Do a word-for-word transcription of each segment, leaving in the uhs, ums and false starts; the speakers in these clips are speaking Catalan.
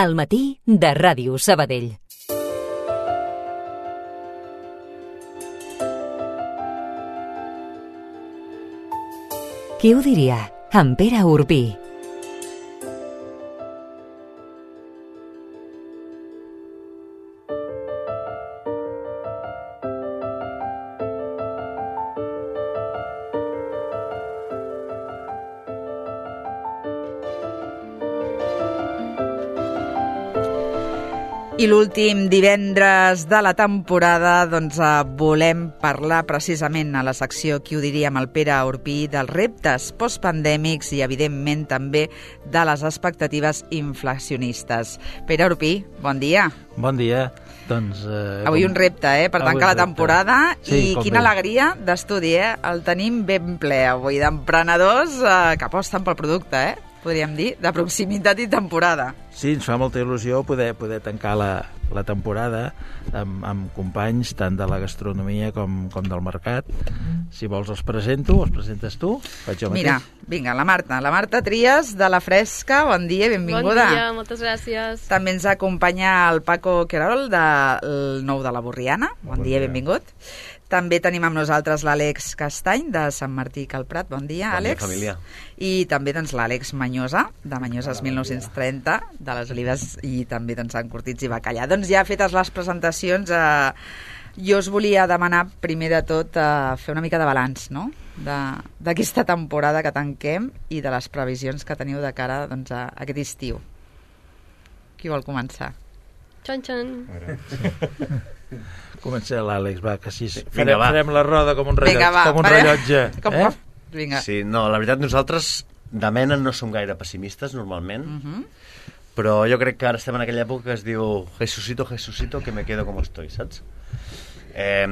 Al matí de Ràdio Sabadell. Qui ho diria? En Pere Urbí. I l'últim divendres de la temporada doncs, volem parlar precisament a la secció Qui ho diria amb el Pere Urbí dels reptes postpandèmics i evidentment també de les expectatives inflacionistes. Pere Urbí, bon dia. Bon dia. Doncs, eh, avui com... un repte, eh, per tancar la temporada sí, i quina bé. Alegria d'estudi, eh? El tenim ben ple avui d'emprenedors eh, que aposten pel producte, eh? Podríem dir, de proximitat i temporada. Sí, ens fa molta il·lusió poder, poder tancar la, la temporada amb, amb companys tant de la gastronomia com, com del mercat. Si vols els presento, els presentes tu? Faig jo mateix. Mira, vinga, la Marta. La Marta Trias, de La Fresca. Bon dia, benvinguda. Bon dia, moltes gràcies. També ens acompanya el Paco Querol, del Nou de la Borriana. Bon, bon dia, dia, benvingut. També tenim amb nosaltres l'Àlex Castany, de Sant Martí Cal Prat. Bon dia, Àlex. Bon dia, família. I també doncs, l'Àlex Manyosa, de Manyoses mil nou-cents trenta, de les Olives, i també doncs, Sant Cortits i Bacallà. Doncs ja fetes les presentacions, eh, jo us volia demanar, primer de tot, eh, fer una mica de balanç, no?, d'aquesta temporada que tanquem i de les previsions que teniu de cara doncs, a aquest estiu. Qui vol començar? Xan, xan. Comença l'Àlex, va, que així Vinga, farem, va. farem la roda com un rellotge. Vinga, va, com un farem... rellotge. Com eh? Vinga. Sí, no, la veritat, nosaltres de mena no som gaire pessimistes, normalment, Uh -huh. però jo crec que ara estem en aquella època que es diu Jesucito, Jesucito, que me quedo como estoy, saps? Eh,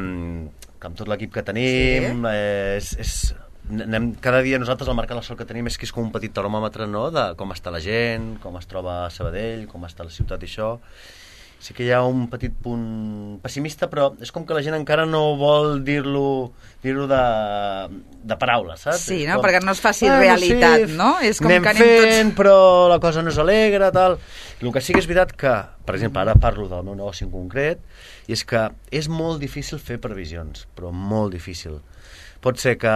que amb tot l'equip que tenim, Sí. eh, és... és anem, cada dia nosaltres al Mercat La Sol que tenim és que és com un petit termòmetre, no?, de com està la gent, com es troba a Sabadell, com està la ciutat i això. Sí que hi ha un petit punt pessimista, però és com que la gent encara no vol dir-lo dir-lo de, de paraules, saps? Sí, no? Com... Perquè no es faci bueno, realitat, sí, no? És com anem que anem fent, tots... però la cosa no és alegre, tal. I el que sí que és veritat que, per exemple, ara parlo del meu negoci en concret, i és que és molt difícil fer previsions, però molt difícil. Pot ser que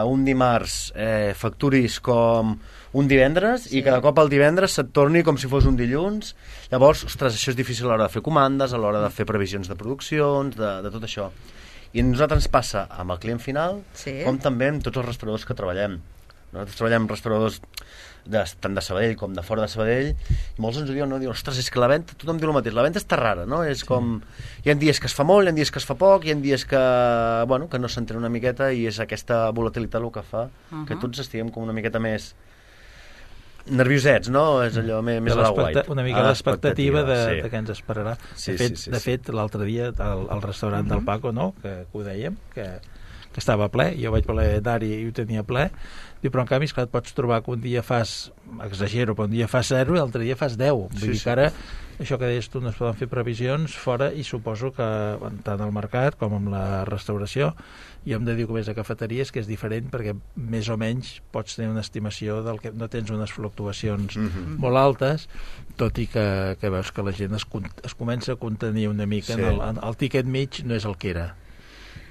un dimarts eh, facturis com un divendres, sí, i cada cop el divendres se't torni com si fos un dilluns. Llavors, ostres, això és difícil a l'hora de fer comandes, a l'hora de fer previsions de produccions, de, de tot això. I a nosaltres ens passa amb el client final, Sí. com també amb tots els restauradors que treballem. Nosaltres treballem amb restauradors de, tant de Sabadell com de fora de Sabadell, i molts ens ho diuen, no? Diuen, ostres, és que la venda, tothom diu el mateix, la venda està rara, no? És com, hi ha dies que es fa molt, hi ha dies que es fa poc, hi ha dies que, bueno, que no s'entén una miqueta, i és aquesta volatilitat el que fa uh -huh. que tots estiguem com una miqueta més nerviosets, no? És allò més, més a la guait. Una mica l'expectativa de, sí. de què ens esperarà. Sí, de fet, sí, sí, de sí. fet l'altre dia, al, al restaurant Uh-huh. del Paco, no?, que, que ho dèiem, que, que estava ple, jo vaig voler anar-hi i ho tenia ple, diu, però en canvi, esclar, et pots trobar que un dia fas, exagero, però un dia fas zero i l'altre dia fas deu. Vull Sí, dir sí. que ara, això que deies tu, no es poden fer previsions fora, i suposo que tant al mercat com amb la restauració, jo hem de dir que ves a cafeteries que és diferent, perquè més o menys pots tenir una estimació del que no tens unes fluctuacions Mhm. molt altes, tot i que, que veus que la gent es, es comença a contenir una mica, Sí. en el, en el tiquet mig no és el que era.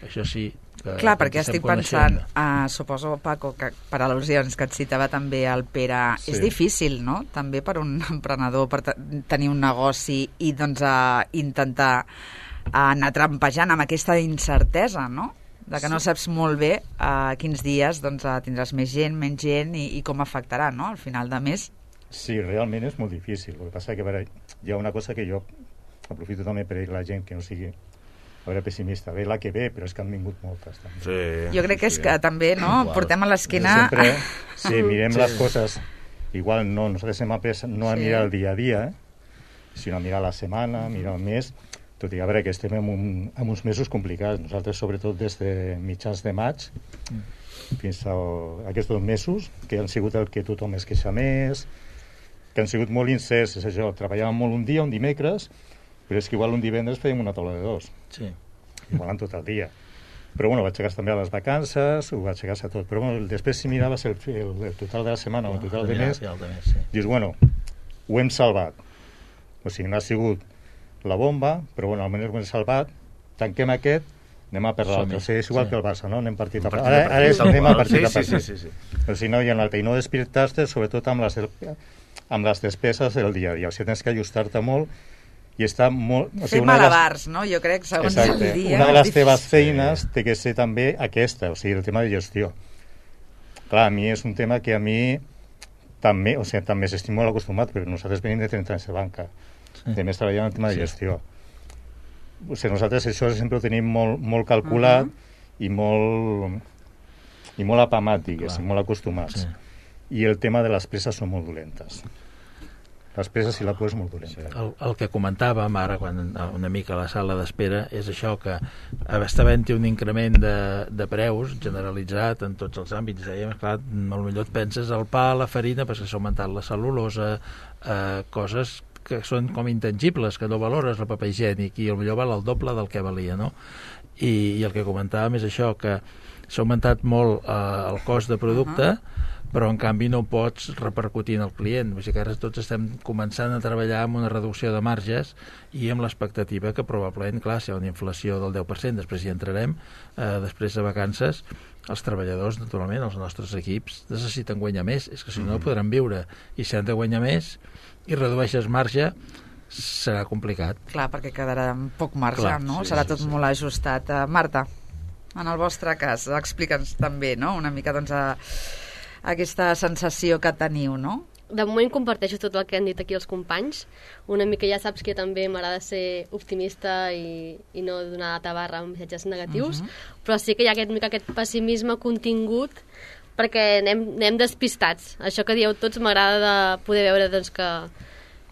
Això sí. Que, Clar, que perquè ens estem estic pensant, coneixent. uh, suposo, Paco, que per al·lusions que et citava també el Pere, Sí. és difícil, no?, també per un emprenedor, per te tenir un negoci i doncs uh, intentar uh, anar trampejant amb aquesta incertesa, no?, de que no saps molt bé uh, quins dies doncs, uh, tindràs més gent, menys gent i, i com afectarà, no?, al final de mes. Sí, realment és molt difícil. El que passa que a veure, hi ha una cosa que jo aprofito també per dir a la gent que no sigui a veure pessimista, ve la que ve, però és que han vingut moltes també. Sí, Jo crec que és sí. que també, no?, Igual. portem a Jo l'esquena... sempre, sí, mirem Sí. les coses, igual no, nosaltres hem après no a Sí. mirar el dia a dia, eh? sinó a mirar la setmana, mirar el mes, tot i que a veure que estem en, un, en uns mesos complicats. Nosaltres, sobretot des de mitjans de maig fins a aquests dos mesos, que han sigut el que tothom es queixa més, que han sigut molt incerts, és això, treballàvem molt un dia, un dimecres, però és que igual un divendres fèiem una taula de dos, Sí. igual en tot el dia. Però bueno, vaig aixecar també a les vacances, ho vaig aixecar a tot. Però bueno, després si miraves el, el, el total de la setmana o el total de mes, Final de mes, sí. dius, bueno, ho hem salvat. O sigui, no ha sigut la bomba, però bueno, almenys ho hem salvat, tanquem aquest, anem a per l'altre. O sigui, és igual sí. que el Barça, no? Anem partit a partit. Ara, ara és, anem a partit a partit. Sí, sí, sí, sí. Però si no hi ha un altre. I no despertar-te, sobretot amb les, amb les despeses del dia a dia. O sigui, tens que ajustar-te molt i està molt... O sigui, fer malabars, no? Jo crec, segons exacte. el dia... Una de les teves feines té que ser també aquesta, o sigui, el tema de gestió. Clar, a mi és un tema que a mi també, o sigui, també estic molt acostumat, però nosaltres venim de trenta anys de banca. Sí. De més treballant en el tema de gestió. O sigui, nosaltres això sempre ho tenim molt, molt calculat uh -huh. i molt i molt apamat, diguéssim, molt acostumats. Sí. I el tema de les presses són molt dolentes. Les presses i la por és molt dolenta. El, el que comentàvem ara, quan una mica a la sala d'espera, és això que està havent-hi un increment de, de preus generalitzat en tots els àmbits. Dèiem, clar, potser et penses al pa, la farina, perquè s'ha augmentat la cel·lulosa, eh, coses que són com intangibles, que no valores el paper higiènic, i potser val el doble del que valia, no? I, i el que comentàvem és això, que s'ha augmentat molt eh, el cost de producte, uh -huh. però en canvi no ho pots repercutir en el client. O sigui que ara tots estem començant a treballar amb una reducció de marges i amb l'expectativa que probablement, clar, si hi ha una inflació del deu per cent, després hi entrarem, eh, després de vacances, els treballadors, naturalment, els nostres equips, necessiten guanyar més, és que si no, no podran viure, i si han de guanyar més i redueixes marge, serà complicat. Clar, perquè quedarà amb poc marge, clar, no? sí, Serà sí, tot sí. molt ajustat. Uh, Marta, en el vostre cas, explica'ns també, no?, una mica, doncs, a, a aquesta sensació que teniu, no? De moment comparteixo tot el que han dit aquí els companys. Una mica ja saps que també m'agrada ser optimista i, i no donar tabarra amb missatges negatius, uh -huh. però sí que hi ha aquest, mica aquest pessimisme contingut perquè anem, anem despistats. Això que dieu tots m'agrada de poder veure, doncs, que,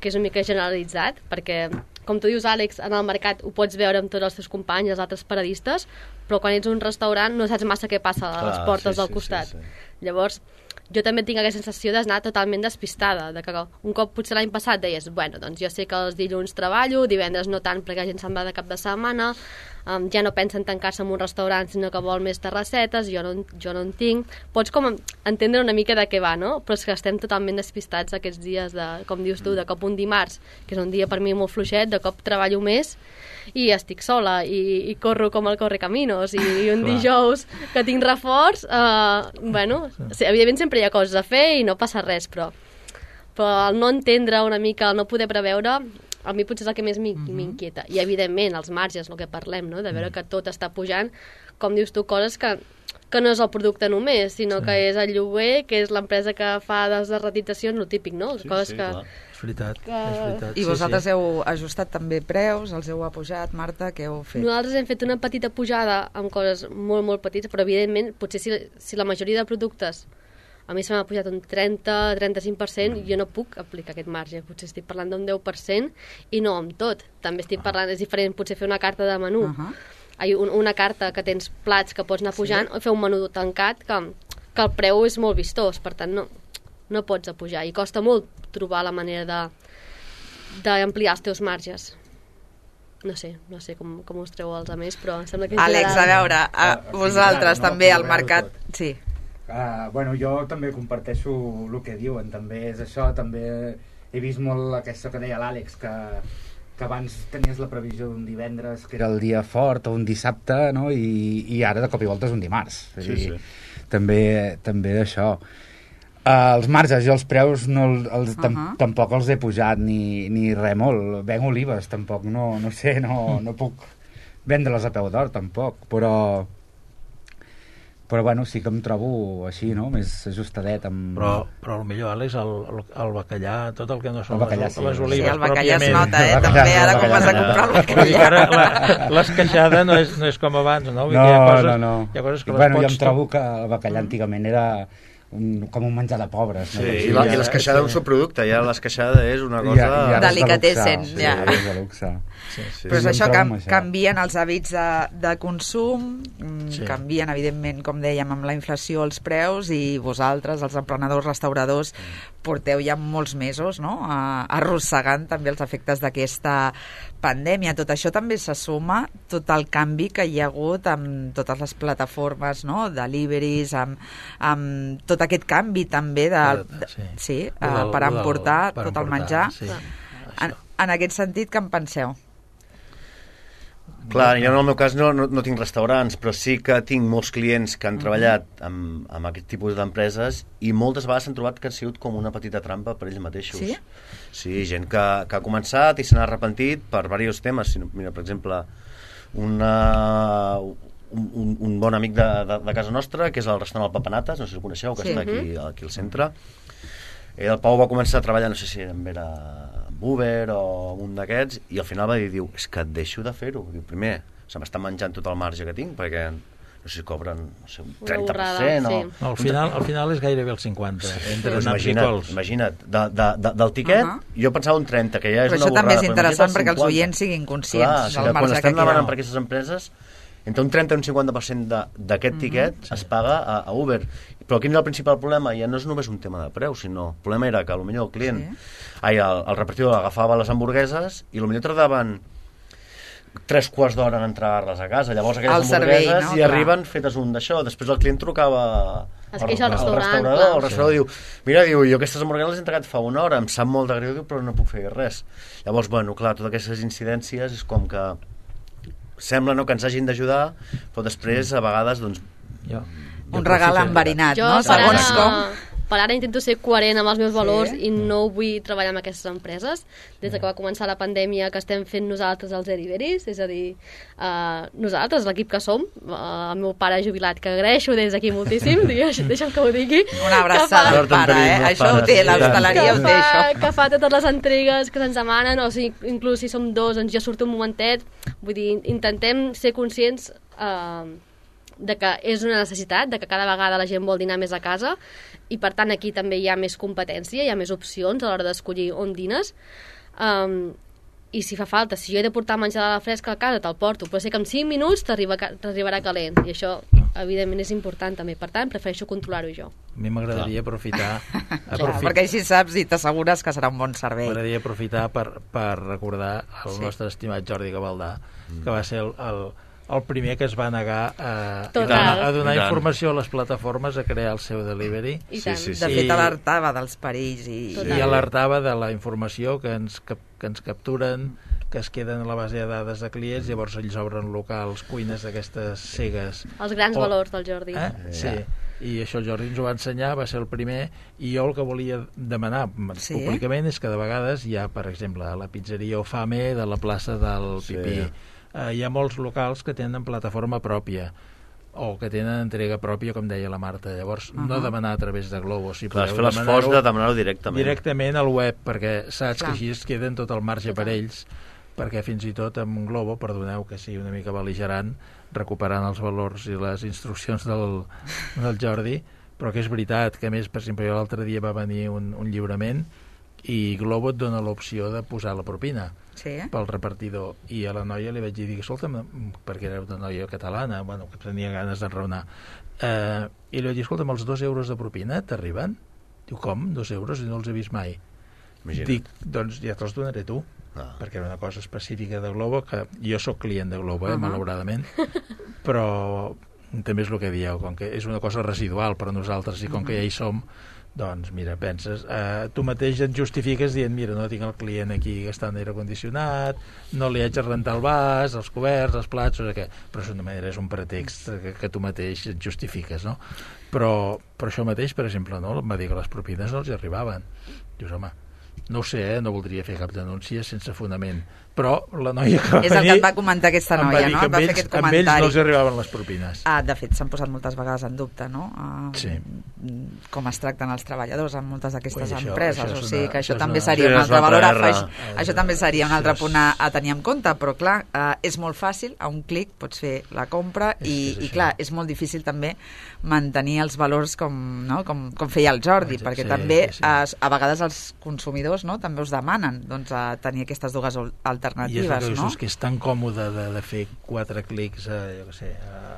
que és una mica generalitzat, perquè, com tu dius, Àlex, en el mercat ho pots veure amb tots els teus companys, els altres paradistes, però quan ets un restaurant no saps massa què passa a les portes sí, del costat. Sí, sí. Llavors, jo també tinc aquesta sensació d'anar totalment despistada, de que un cop potser l'any passat deies, bueno, doncs jo sé que els dilluns treballo, divendres no tant perquè la gent se'n va de cap de setmana, um, ja no pensen tancar-se en un restaurant sinó que vol més terrassetes, jo no, jo no en tinc. Pots com entendre una mica de què va, no? Però és que estem totalment despistats aquests dies, de, com dius tu, de cop un dimarts, que és un dia per mi molt fluixet, de cop treballo més i estic sola i, i corro com el Correcaminos i, i un dijous que tinc reforç, eh, bueno, sí, evidentment sempre hi ha coses a fer i no passa res, però, però el no entendre una mica, el no poder preveure, a mi potser és el que més m'inquieta. I evidentment els marges, el que parlem, no?, de veure que tot està pujant, com dius tu, coses que que no és el producte només, sinó sí. que és el lloguer, que és l'empresa que fa les derratitzacions, el típic, no? Sí, coses sí, que... clar. És veritat, que... és veritat. I vosaltres sí, sí. heu ajustat també preus, els heu apujat, Marta, què heu fet? Nosaltres hem fet una petita pujada amb coses molt, molt petites, però evidentment, potser si, si la majoria de productes a mi se m'ha pujat un trenta a trenta-cinc per cent, mm. jo no puc aplicar aquest marge, potser estic parlant d'un deu per cent i no amb tot, també estic parlant, és diferent potser fer una carta de menú, uh -huh. una carta que tens plats que pots anar pujant, sí. o fer un menú tancat que, que el preu és molt vistós, per tant no, no pots apujar i costa molt trobar la manera d'ampliar els teus marges. No sé, no sé com, com us treu els altres, però em sembla que... Àlex, a veure, a ah, vosaltres sí, no, també no, al mercat... tot. Sí. Uh, bueno, jo també comparteixo el que diuen, també és això, també he vist molt aquesta que deia l'Àlex, que, que abans tenies la previsió d'un divendres, que era el dia fort, o un dissabte, no? I, i ara de cop i volta és un dimarts. És sí, dir, sí. També, també d'això. Uh, els marges, jo els preus no, els, tam, uh -huh. tampoc els he pujat ni, ni res molt. Venc olives, tampoc, no, no sé, no, no puc vendre-les a peu d'or, tampoc, però... però bueno, sí que em trobo així, no?, més ajustadet amb... Però, però potser, Àlex, el, el, el bacallà, tot el que no són bacallà, les, sí. les olives, sí, el bacallà es pròpiament. nota, eh, El també, bacallà, ara el com vas a bacallà. comprar el Vull dir que bacallà. ara l'esqueixada no, és, no és com abans, no? Vull dir, No, hi ha coses, no, no. Hi ha coses que bueno, les jo pots... em trobo que el bacallà antigament era un, com un menjar de pobres. Sí, no? i, la, i l'esqueixada és un subproducte, ja l'esqueixada és una cosa... Ja, ja Delicatessen, sí, ja. és de luxe. Sí, sí. Però és Sí, això, em trobo que amb això. canvien els hàbits de, de consum, Sí. sí. canvien, evidentment, com dèiem, amb la inflació els preus, i vosaltres, els emprenedors, restauradors, porteu ja molts mesos, no?, a, arrossegant també els efectes d'aquesta pandèmia. Tot això també se suma, tot el canvi que hi ha hagut amb totes les plataformes, no?, deliveries, amb, amb tot aquest canvi també de, de, Sí. sí, Lo del- uh, per lo del- emportar per tot el emportar, menjar. sí. En, en aquest sentit, què en penseu? Clar, jo en el meu cas no, no, no tinc restaurants, però sí que tinc molts clients que han treballat amb, amb aquest tipus d'empreses i moltes vegades s'han trobat que ha sigut com una petita trampa per ells mateixos. Sí? Sí, gent que, que ha començat i se n'ha arrepentit per diversos temes. Mira, per exemple, una, un, un, un bon amic de, de, de casa nostra, que és el restaurant El Papanates, no sé si el coneixeu, que Sí. està aquí, aquí al centre. El Pau va començar a treballar, no sé si era amb Uber o un d'aquests, i al final va dir, diu, és que deixo de fer-ho. Diu, primer, se m'està menjant tot el marge que tinc, perquè no sé si cobren no sé, un trenta per cent Una o... borrada, No, al, final, al final és gairebé el cinquanta, entre Pues naps i imagina't, cols. imagina't de, de, de, del tiquet, Uh -huh. jo pensava un trenta, que ja és Però una això borrada. també és però interessant imagina't el perquè els cinquanta. oients siguin conscients Clar, o del sigui, quan marge estem que demanant queda. per aquestes empreses, entre un trenta i un cinquanta per cent d'aquest tiquet Mhm. es paga a, a Uber. Però quin era el principal problema? Ja no és només un tema de preu, sinó el problema era que potser el client, Sí. ai, el, el repartidor agafava les hamburgueses i potser tardaven tres quarts d'hora en entregar-les a casa. Llavors aquelles El servei, hamburgueses no? hi Clar. arriben fetes un d'això. Després el client trucava Es queixa al al restaurant, restaurador, clar. el restaurador diu, mira, diu, jo aquestes hamburgueses les he entregat fa una hora, em sap molt de greu, diu, però no puc fer res. Llavors, bueno, clar, totes aquestes incidències és com que sembla no, que ens hagin d'ajudar, però després, a vegades, doncs... Jo, Un regal enverinat, Jo, no? per ara, Segons com... per ara intento ser coherent amb els meus Sí? valors i no vull treballar amb aquestes empreses. Des de que va començar la pandèmia que estem fent nosaltres els deliveries, és a dir, uh, nosaltres, l'equip que som, uh, el meu pare jubilat, que agraeixo des d'aquí moltíssim, digues, deixa'm que ho digui. Una abraçada que al pare, eh? Sort en Això ho té, pares, l'hostaleria que ho té, fa, això. que fa totes les entregues que se'ns demanen, o sigui, inclús si som dos, doncs jo surto un momentet. Vull dir, intentem ser conscients uh, de que és una necessitat, de que cada vegada la gent vol dinar més a casa i per tant aquí també hi ha més competència, hi ha més opcions a l'hora d'escollir on dines. Um, i si fa falta, si jo he de portar menjar de la fresca a casa, te'l porto, però sé que en cinc minuts t'arriba, t'arribarà calent i això evidentment és important també, per tant prefereixo controlar-ho jo. A mi m'agradaria aprofitar... Clar, aprofit- perquè així saps i t'assegures que serà un bon servei. M'agradaria aprofitar per, per recordar el Sí. nostre estimat Jordi Gavaldà, que va ser el, el, el primer que es va negar a, a Total. donar, a donar I tant. informació a les plataformes, a crear el seu delivery, I Sí, tant. sí, sí. De I- fet, alertava dels perills i... Total. i alertava de la informació que ens, que, que ens capturen, que es queden a la base de dades de clients, llavors ells obren locals, cuines d'aquestes cegues. Els grans O- valors del Jordi. Eh? Sí, i això el Jordi ens ho va ensenyar, va ser el primer, i jo el que volia demanar Sí? públicament és que de vegades hi ha, per exemple, a la pizzeria Ofame de la plaça del Sí. Pipí, eh, hi ha molts locals que tenen plataforma pròpia, o que tenen entrega pròpia, com deia la Marta. Llavors, uh -huh. no demanar a través de Globo, si Clar, has podeu fet l'esforç demanar-ho de demanar-ho directament. directament al web, perquè saps Clar. que així es queden tot el marge per Total. ells, perquè fins i tot amb Globo, perdoneu que sigui una mica bel·ligerant, recuperant els valors i les instruccions del, del Jordi, però que és veritat que, a més, per exemple, jo l'altre dia va venir un, un lliurament i Globo et dona l'opció de posar la propina Sí? pel repartidor, i a la noia li vaig dir, escolta'm, perquè era una noia catalana, bueno, que tenia ganes d'enraonar, eh, i li vaig dir, escolta'm, els dos euros de propina t'arriben? Diu, com? Dos euros? I no els he vist mai. Imagina't. Dic, doncs ja te'ls donaré tu, Ah. perquè era una cosa específica de Globo, que jo sóc client de Globo, eh, Uh-huh. malauradament, però també és el que dieu, com que és una cosa residual per a nosaltres, i com que ja hi som, doncs mira, penses, eh, tu mateix et justifiques dient, mira, no tinc el client aquí gastant aire condicionat, no li haig de rentar el vas, els coberts, els plats, o què, però és una manera, és un pretext que, que tu mateix et justifiques, no? Però, però això mateix, per exemple, no? Em va dir que les propines no els hi arribaven. Dius, home, no ho sé, eh? No voldria fer cap denúncia sense fonament, però la noia que va És el venir que et va comentar aquesta em va noia, dir no? que Et va amb fer ells, aquest amb ells no comentari. els hi arribaven les propines. Ah, de fet, s'han posat moltes vegades en dubte, no? Uh, Sí. Com es tracten els treballadors en moltes d'aquestes Ui, això- empreses. això és O sigui una- que això això és també una- seria Sí, un és altre una valor a altra afegir. R. Això també seria un Això altre és- punt a, a tenir en compte, però clar, uh, és molt fàcil, a un clic pots fer la compra És- i, és i això. clar, és molt difícil també mantenir els valors com, no? com, com feia el Jordi, Sí, perquè sí, també sí. a, a vegades els consumidors, no? també us demanen doncs, a tenir aquestes dues al- I és el alternatives, que no? és que és tan còmode de, de fer quatre clics a, jo què sé,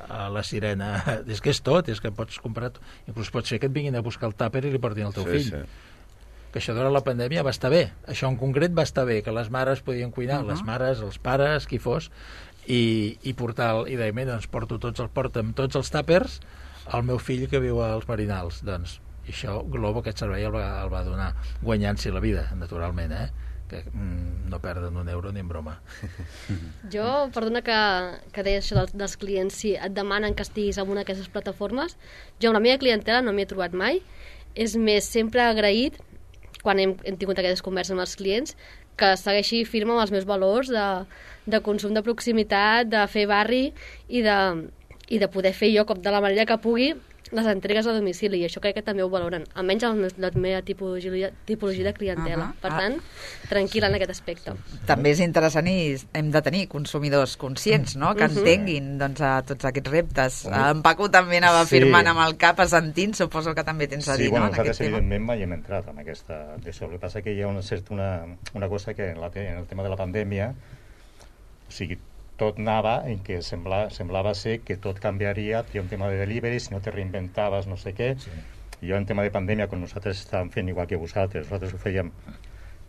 a, a la sirena. És que és tot, és que pots comprar... Inclús pots fer que et vinguin a buscar el tàper i li portin al teu Sí, fill. sí. Que això durant la pandèmia va estar bé. Això en concret va estar bé, que les mares podien cuinar, Uh-huh. les mares, els pares, qui fos, i, i portar... El, I deia, mira, doncs porto tots els, porta'm tots els tàpers al meu fill que viu als Marinals. Doncs i això Globo aquest servei el va, el va donar, guanyant-s'hi la vida, naturalment, eh? que mm, no perden un euro ni en broma. Jo, perdona que, que deies això dels, dels clients, si et demanen que estiguis en una d'aquestes plataformes, jo amb la meva clientela no m'hi he trobat mai, és més, sempre agraït, quan hem, hem tingut aquestes converses amb els clients, que segueixi firme amb els meus valors de, de consum de proximitat, de fer barri i de, i de poder fer jo, com de la manera que pugui, les entregues a domicili, i això crec que també ho valoren, almenys la, la meva tipologia, tipologia de clientela. Uh -huh. Per tant, tranquil·la en aquest aspecte. També és interessant i hem de tenir consumidors conscients, no?, que uh -huh. entenguin doncs, a tots aquests reptes. Uh -huh. En Paco també anava sí. firmant amb el cap, assentint, suposo que també tens a dir, sí, bueno, no?, en aquest tema. evidentment mai hem entrat en aquesta... D'això. El que passa que hi ha una, certa, una, una cosa que en, la, en el tema de la pandèmia, o sigui, tot anava en què sembla, semblava ser que tot canviaria, hi ha un tema de delivery, si no te reinventaves no sé què, sí. I jo en tema de pandèmia, quan nosaltres estàvem fent igual que vosaltres, nosaltres ho fèiem,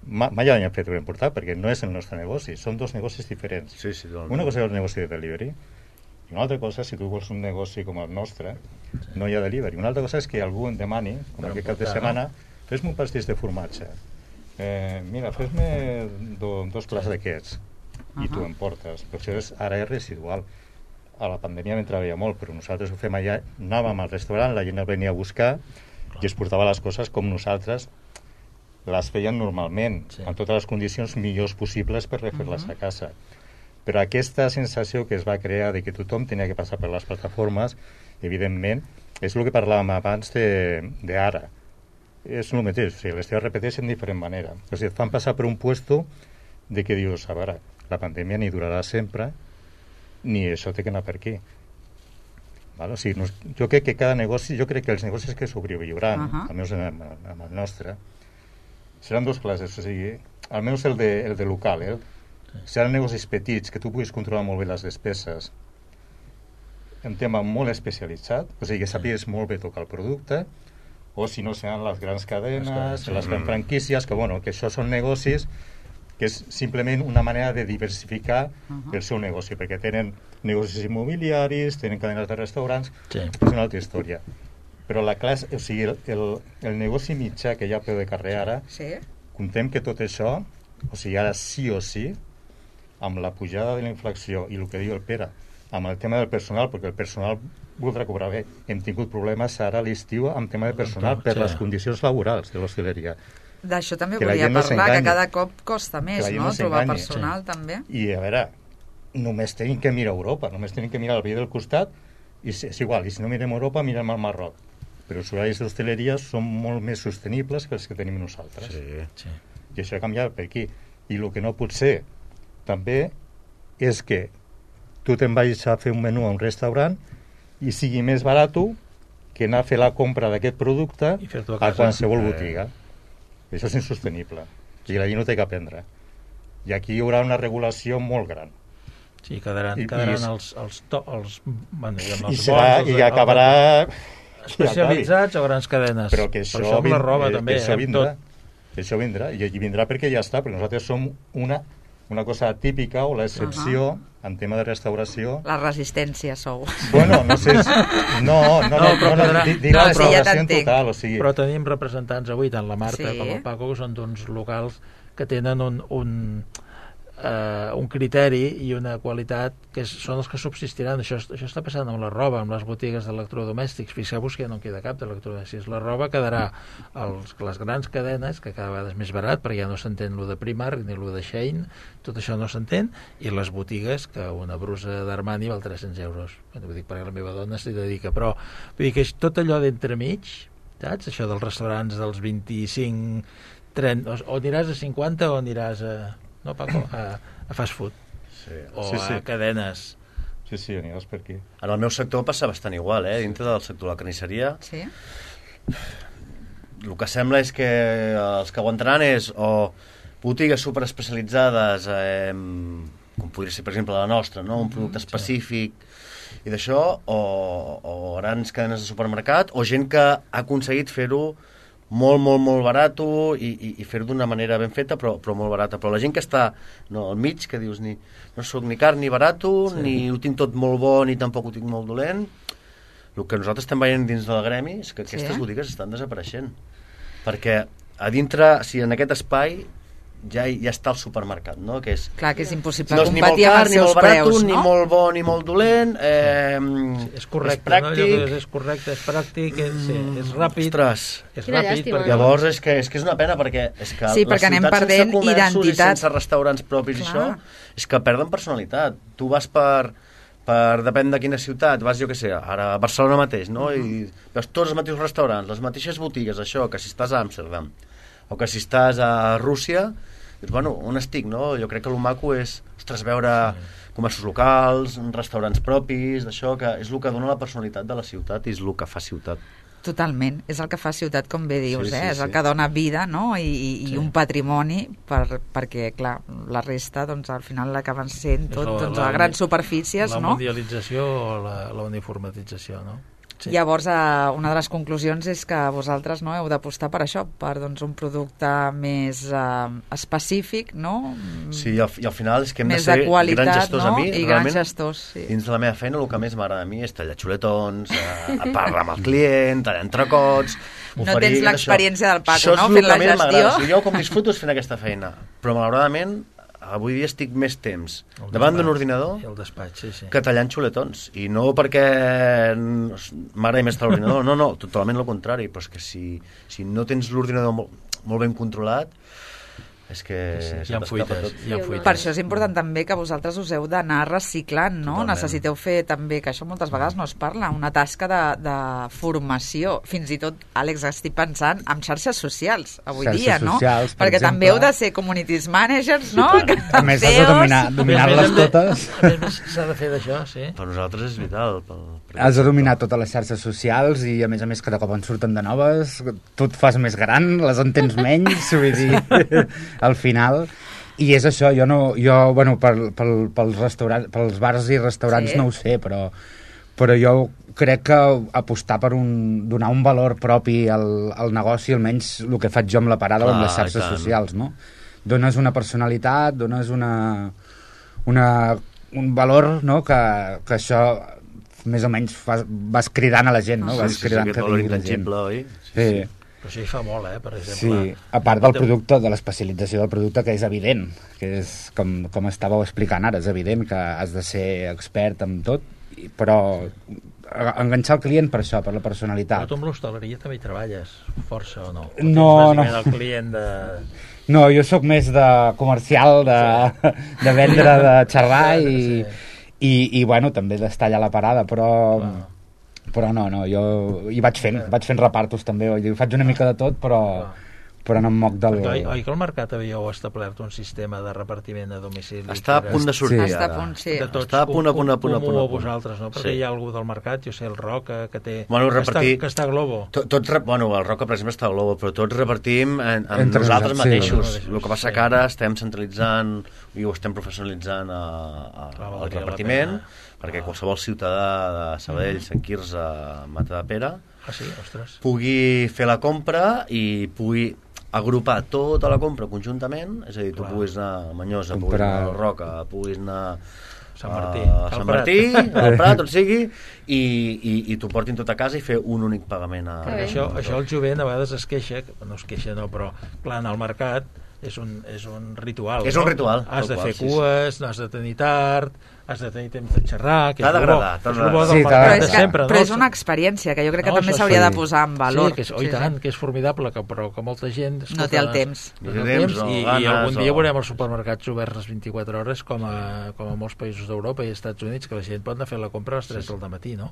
ma, mai l'hem fet ben portat, perquè no és el nostre negoci, són dos negocis diferents. Sí, sí, una cosa és el negoci de delivery, i una altra cosa, si tu vols un negoci com el nostre, sí. no hi ha delivery. Una altra cosa és que algú em demani, com aquest cap de setmana, fes-me un pastís de formatge, eh, mira, fes-me do, dos plats d'aquests, i uh -huh. tu em portes, però això és, ara és residual. A la pandèmia m'en treballia molt, però nosaltres ho fem allà, anàvem al restaurant, la gent el venia a buscar i es portava les coses com nosaltres les feien normalment, sí. amb totes les condicions millors possibles per refer-les uh -huh. a casa. Però aquesta sensació que es va crear de que tothom tenia que passar per les plataformes, evidentment, és el que parlàvem abans d'ara. És el mateix, o sigui, les teves repeteixen de diferent manera. O sigui, et fan passar per un puesto de que dius, a veure, la pandèmia ni durarà sempre, ni això té que anar per aquí. Val? O sigui, no, jo crec que cada negoci, jo crec que els negocis que sobreviuran, uh -huh. almenys amb, amb el nostre, seran dos classes. O sigui, almenys el de, el de local, eh? Seran negocis petits, que tu puguis controlar molt bé les despeses, un tema molt especialitzat, o sigui, que sàpigues molt bé tocar el producte, o si no seran les grans cadenes, les grans franquícies, que, bueno, que això són negocis que és simplement una manera de diversificar uh -huh. el seu negoci, perquè tenen negocis immobiliaris, tenen cadenes de restaurants, sí. és una altra història. Però la classe, o sigui, el, el, el negoci mitjà que hi ha a peu de carrer ara, sí. contem que tot això, o sigui, ara sí o sí, amb la pujada de la inflació i el que diu el Pere, amb el tema del personal, perquè el personal voldrà cobrar bé. Hem tingut problemes ara a l'estiu amb tema de personal per sí. les condicions laborals de l'hostaleria. D'això també que volia parlar, no que cada cop costa més, no?, no trobar personal, sí. també. I, a veure, només tenim que mirar Europa, només tenim que mirar el veí del costat, i és igual, i si no mirem Europa, mirem el Marroc. Però els horaris d'hostaleria són molt més sostenibles que els que tenim nosaltres. Sí, sí. I això ha canviat per aquí. I el que no pot ser, també, és que tu te'n vagis a fer un menú a un restaurant i sigui més barat que anar a fer la compra d'aquest producte a, a qualsevol botiga. Eh. Això és insostenible. I la gent no té que aprendre. I aquí hi haurà una regulació molt gran. Sí, quedaran, I, quedaran i és... els, els, to, els, bueno, els I, serà, bons, i acabarà... Especialitzats o grans cadenes. Però que això, això amb la roba, eh, també. Que això vindrà. Que això vindrà. I, I vindrà perquè ja està, perquè nosaltres som una, una cosa típica o l'excepció uh -huh. en tema de restauració. La resistència sou. Bueno, no sé... Si... No, no, no, no, no, no, no dic no, la restauració en total. O sigui... Però tenim representants avui, tant la Marta sí. com el Paco, que són d'uns locals que tenen un... un Uh, un criteri i una qualitat que és, són els que subsistiran. Això, això està passant amb la roba, amb les botigues d'electrodomèstics. Fixeu-vos que ja no en queda cap d'electrodomèstics. La roba quedarà als, les grans cadenes, que cada vegada és més barat, perquè ja no s'entén lo de Primark ni lo de Shein, tot això no s'entén, i les botigues, que una brusa d'Armani val tres-cents euros. Bueno, vull dir, perquè la meva dona s'hi dedica, però vull dir que és tot allò d'entremig, saps? Això dels restaurants dels vint-i-cinc, trenta, o, o aniràs a cinquanta o aniràs a... no, Paco, a, a fast food sí. o sí, sí. a cadenes. Sí, sí, aniràs per aquí. En el meu sector passa bastant igual, eh? Dintre del sector de la carnisseria. Sí. El que sembla és que els que aguantaran és o botigues superespecialitzades, eh, com podria ser, per exemple, la nostra, no? Un producte específic i d'això, o, o grans cadenes de supermercat, o gent que ha aconseguit fer-ho molt, molt, molt barat i, i, i fer-ho d'una manera ben feta, però, però molt barata. Però la gent que està no, al mig, que dius ni, no soc ni car ni barat, sí. ni ho tinc tot molt bo, ni tampoc ho tinc molt dolent, el que nosaltres estem veient dins del gremi és que aquestes sí. botigues estan desapareixent. Perquè a dintre, si en aquest espai ja, ja està al supermercat, no? Que és, Clar, que és impossible no és ni molt competir amb car, els ni molt seus barat, preus, ni no? molt bo, ni molt dolent. Eh, Sí, és correcte, és pràctic. no? Allò que és correcte, és pràctic, és, sí, és ràpid. Ostres. És Quina ràpid llàstima. perquè... Llavors és que, és que és una pena perquè és que Sí, les perquè anem ciutats perdent sense comerços identitat. i sense restaurants propis i Clar. això és que perden personalitat. Tu vas per, per depèn de quina ciutat, vas jo què sé, ara a Barcelona mateix, no? I veus tots els mateixos restaurants, les mateixes botigues, això, que si estàs a Amsterdam o que si estàs a Rússia, dius, bueno, on estic, no? Jo crec que el maco és, ostres, veure comerços locals, restaurants propis, d'això, que és el que dona la personalitat de la ciutat i és el que fa ciutat. Totalment, és el que fa ciutat, com bé dius, Sí, sí, eh? És sí. el que dona vida, no? I, i, i Sí. un patrimoni, per, perquè, clar, la resta, doncs, al final l'acaben sent tot, És la- doncs, la- a grans superfícies, La no? mundialització o la, la uniformatització, no? Sí. Llavors, eh, una de les conclusions és que vosaltres, no, heu d'apostar per això, per, doncs, un producte més eh, específic, no? Sí, i al, i al final és que hem Més de ser de qualitat, grans gestors no? a mi. I grans realment, gestors, sí. Dins de la meva feina el que més m'agrada a mi és tallar xuletons, eh, parlar amb el client, tallar entrecots... No oferir tens això. l'experiència del Paco, Això és no? el Fent que la més m'agrada. gestió. O sigui, jo com disfruto és fent aquesta feina, però malauradament avui dia estic més temps El davant d'un despatx, ordinador i el despatx, sí, sí. que tallant xuletons. I no perquè m'agradi més estar a l'ordinador, no, no, totalment el contrari, però és que si, si no tens l'ordinador molt, molt ben controlat, és que Sí, sí, se hi ha t'escapa fuites, tot. hi ha Sí, fuites. Per això és important també que vosaltres us heu d'anar reciclant, no? Totalment. Necessiteu fer també, que això moltes vegades no es parla, una tasca de, de formació. Fins i tot, Àlex, estic pensant en xarxes socials avui Xarxes dia, no? socials, per Perquè exemple. també heu de ser communities managers, no? A més, has de dominar, A més, dominar-les hem de- totes. A més, s'ha de fer d'això, sí. Per nosaltres és vital. Pel, per Has de dominar totes les xarxes socials i, a més a més, cada cop en surten de noves. Tu et fas més gran, les entens menys, vull dir, al final... I és això, jo no... Jo, bueno, pel, pel, pels, restaurants, pels bars i restaurants Sí. no ho sé, però, però jo crec que apostar per un, donar un valor propi al, al negoci, almenys el que faig jo amb la parada o amb Clar, les xarxes i tant. socials, no? Dones una personalitat, dones una, una, un valor, no?, que, que això més o menys fas, vas cridant a la gent, no? Sí, Vas sí, sí, cridant aquest que valor vingui la gent. intangible, oi? Sí, Però això hi fa molt, eh, per sí, exemple. a part del producte, de l'especialització del producte, que és evident, que és com, com estàveu explicant ara, és evident que has de ser expert en tot, i- però a- enganxar el client per això, per la Però personalitat. tu amb l'hostaleria també hi treballes, força o no? O No, tens bàsicament no. el client de... No, jo sóc més de comercial, de, de vendre, de xerrar i, Sí. i, i bueno, també d'estar allà a la parada, però... Clar. Però no, no, jo hi vaig fent, vaig fent repartos també, vull dir, faig una mica de tot, però, però no em moc del... Perquè, oi, oi que al mercat havíeu establert un sistema de repartiment a domicili? Està a que era- punt de sortir Sí. Està a ara. punt, sí. de tots, Està a punt, a punt, a punt, a punt, comú a a punt. vosaltres, no? Perquè Sí. hi ha algú del mercat, jo sé, el Roca, que té... Bueno, que repartir- està, que està a Globo. To- Tots, re- bueno, el Roca, per exemple, està a Globo, però tots repartim en, en Entre nosaltres nosaltres, sí. mateixos. Nosaltres, El que passa sí. que ara estem centralitzant i ho estem professionalitzant a, a, Clar, al valdria la repartiment, pena. perquè Ah. qualsevol ciutadà de Sabadell, Sant Quirze, Matadepera, Ah, sí? Ostres. pugui fer la compra i pugui agrupar tota la compra conjuntament, és a dir, tu Clar. puguis anar a Manyosa, puguis Comprar- anar al Roca, puguis anar Sant Martí, a al Sant Prat. Martí, al Prat, on sigui, i, i, i t'ho portin tot a casa i fer un únic pagament. A, Que Perquè bé. això, això el jovent a vegades es queixa, que- no es queixa no, però clar, anar al mercat és un, és un ritual. És no? un ritual, Has de tal qual, fer sí, sí. cues, no has de tenir tard, has de tenir temps de xerrar, que T'ha és el bo, d'agradar, t'ha és el bo d'agradar. del Sí, mercat t'ha Però de és, que, sempre. però no? és una experiència que jo crec que No, també això s'hauria sí. de posar en valor. Sí, que és, oh, i tant, que és formidable, que, però que molta gent... No té el temps. No Ni té el temps, temps, o i, i ganes, algun dia o- veurem els supermercats oberts les vint-i-quatre hores com a, com a molts països d'Europa i Estats Units, que la gent pot anar a fer la compra a les tres del dematí, no?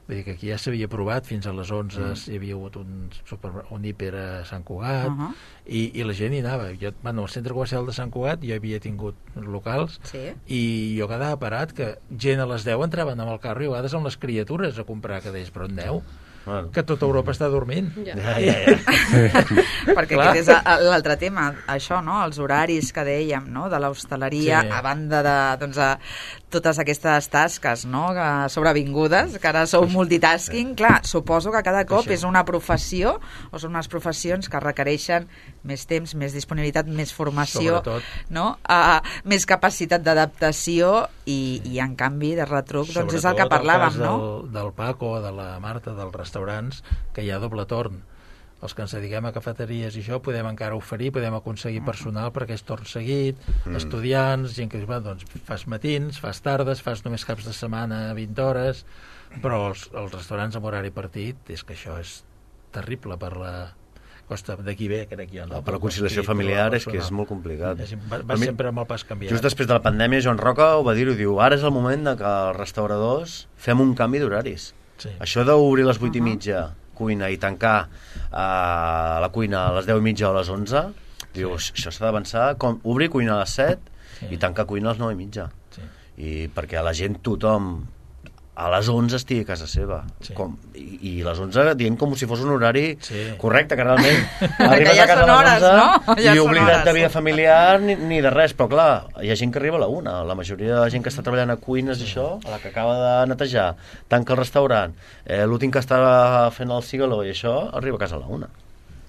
Vull dir que aquí ja s'havia provat, fins a les onze mm. hi havia hagut un, super, un hiper a Sant Cugat, Uh -huh. i, i la gent hi anava. Jo, bueno, al centre comercial de Sant Cugat jo havia tingut locals Sí. i jo quedava parat que gent a les deu entraven amb el carro i a vegades amb les criatures a comprar, que deies, però on deu? Bueno. Que tota Europa està dormint. Ja. Ja, ja, ja. Perquè Clar. aquest és a- l'altre tema, això, no? Els horaris que dèiem, no? De l'hostaleria, Sí. a banda de doncs, a totes aquestes tasques, no? Que sobrevingudes, que ara sou multitasking. Clar, suposo que cada cop Això. és una professió, o són unes professions que requereixen més temps, més disponibilitat, més formació, Sobretot. no? Uh, més capacitat d'adaptació i, i, en canvi, de retruc, doncs és el que Sobretot parlàvem, el cas no? del, del Paco, de la Marta, dels restaurants, que hi ha doble torn. els que ens dediquem a cafeteries i això podem encara oferir, podem aconseguir personal perquè és torn seguit, mm. estudiants, gent que diu, doncs fas matins, fas tardes, fas només caps de setmana vint hores, però els, els restaurants amb horari partit, és que això és terrible per la costa d'aquí ve, crec jo. No? Per la conciliació familiar és que és molt complicat. És, va va sempre amb el pas canviat. Just després de la pandèmia, Joan Roca ho va dir, ho diu, ara és el moment de que els restauradors fem un canvi d'horaris. Sí. Això d'obrir a les vuit uh -huh. i mitja cuina i tancar uh, la cuina a les deu i mitja o a les onze, diu, sí. això s'ha d'avançar, com obrir cuina a les set sí. i tancar cuina a les nou i mitja. Sí. I perquè a la gent, tothom, a les onze estigui a casa seva. Sí. Com, i, I a les onze dient com si fos un horari sí. correcte, que realment arribes ja a casa a les onze no? ja i oblida't de vida familiar ni, ni de res, però clar, hi ha gent que arriba a la una, la majoria de la gent que està treballant a cuines i això, a la que acaba de netejar, tanca el restaurant, eh, l'últim que està fent el cigaló i això, arriba a casa a la una.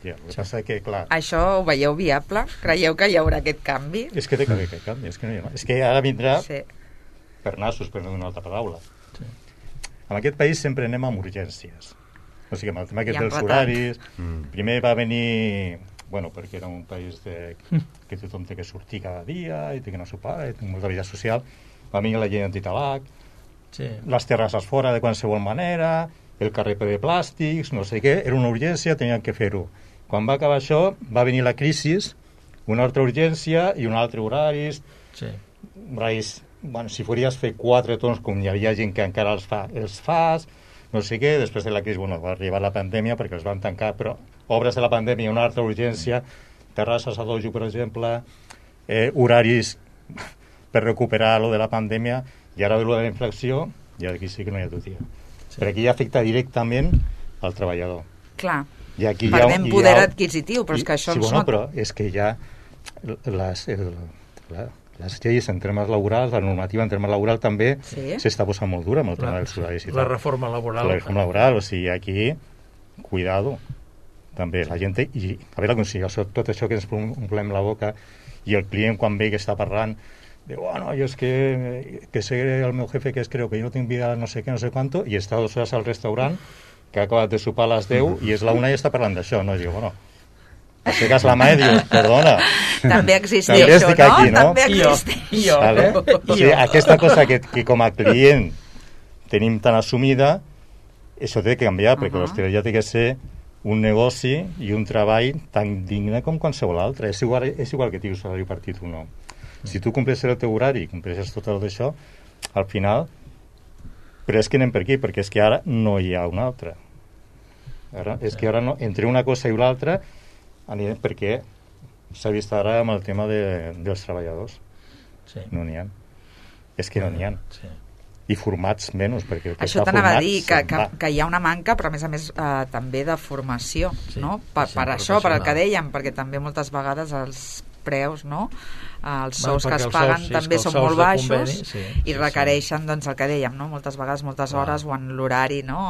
Ja, el que passa que, clar... Això ho veieu viable? Creieu que hi haurà aquest canvi? És que té que haver aquest canvi, és que, no hi ha... és que ara vindrà sí. per nassos, per no una altra paraula. Sí. En aquest país sempre anem amb urgències. O sigui, amb el tema aquest dels horaris... Mm. Primer va venir... Bueno, perquè era un país de, que tothom té que sortir cada dia i té que anar a sopar i té molta vida social. Va venir la llei antitabac, sí. les terrasses fora de qualsevol manera, el carrer ple de plàstics, no sé què, era una urgència, tenien que fer-ho. Quan va acabar això, va venir la crisi, una altra urgència i un altre horaris. Sí. Horaris... Bueno, si podries fer quatre torns, com hi havia gent que encara els fa, els fas, no sé què, després de la crisi, bueno, va arribar la pandèmia perquè els van tancar, però obres de la pandèmia, una altra urgència, terrasses a dojo, per exemple, eh, horaris per recuperar lo de la pandèmia, i ara ve lo de la inflació, i aquí sí que no hi ha tutia. Sí. Perquè aquí afecta directament al treballador. Clar, I aquí perdem ha, poder ha, adquisitiu, però és que això sí, ens bueno, no... però és que ja les... El, la, les lleis en termes laborals, la normativa en termes laborals també s'està sí? posant molt dura amb el tema dels horaris i tal. La reforma laboral. La reforma laboral, o sigui, aquí, cuidado, també la gent té, i a veure com si tot això que ens omplem la boca i el client quan ve que està parlant diu, bueno, jo és que, que sé el meu jefe que es creu que jo no tinc vida no sé què, no sé quanto, i està dues hores al restaurant que ha acabat de sopar a les deu i és la una i està parlant d'això, no? I diu, bueno, aixeques la mà i dius, perdona. També existeix això, no? Aquí, no? També existeix. I jo. Vale? O sigui, aquesta cosa que, que com a client tenim tan assumida, això té que canviar, perquè uh -huh. l'hostaleria té que ser un negoci i un treball tan digne com qualsevol altre. És igual, és igual que tinguis salari partit o no. Si tu compleixes el teu horari, compleixes tot el d'això, al final... Però és que anem per aquí, perquè és que ara no hi ha una altra. Ara, és que ara no, entre una cosa i l'altra anirem perquè s'ha vist ara amb el tema de, dels treballadors. Sí. No n'hi ha. És que no n'hi ha. Sí. I formats menys, perquè el que això està t'anava format... a dir, que, que, que hi ha una manca, però a més a més eh, també de formació, sí. no? Per, per això, per el que dèiem, perquè també moltes vegades els preus, no? Els sous bueno, que es paguen sous, sí, també són molt baixos conveni, sí, i sí, requereixen, sí. doncs, el que dèiem, no? Moltes vegades, moltes Clar. hores o en l'horari, no?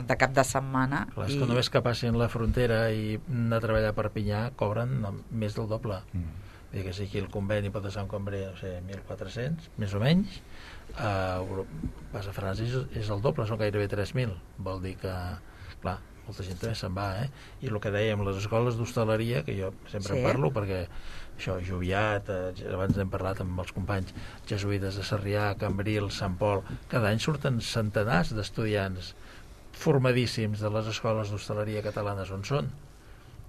De cap de setmana. Clar, és i... que només que passin la frontera i anar a treballar a Perpinyà cobren més del doble. Mm. Vull dir que si aquí el conveni pot estar un cambrer, no sé, mil quatre-cents, més o menys, uh, vas a França és, és el doble, són gairebé tres mil. Vol dir que, clar, molta gent també se'n va, eh? I el que dèiem, les escoles d'hostaleria, que jo sempre sí. en parlo, perquè això, Joviat, eh, abans n'hem parlat amb els companys, jesuïtes de Sarrià, Cambrils, Sant Pol, cada any surten centenars d'estudiants formadíssims de les escoles d'hostaleria catalanes on són.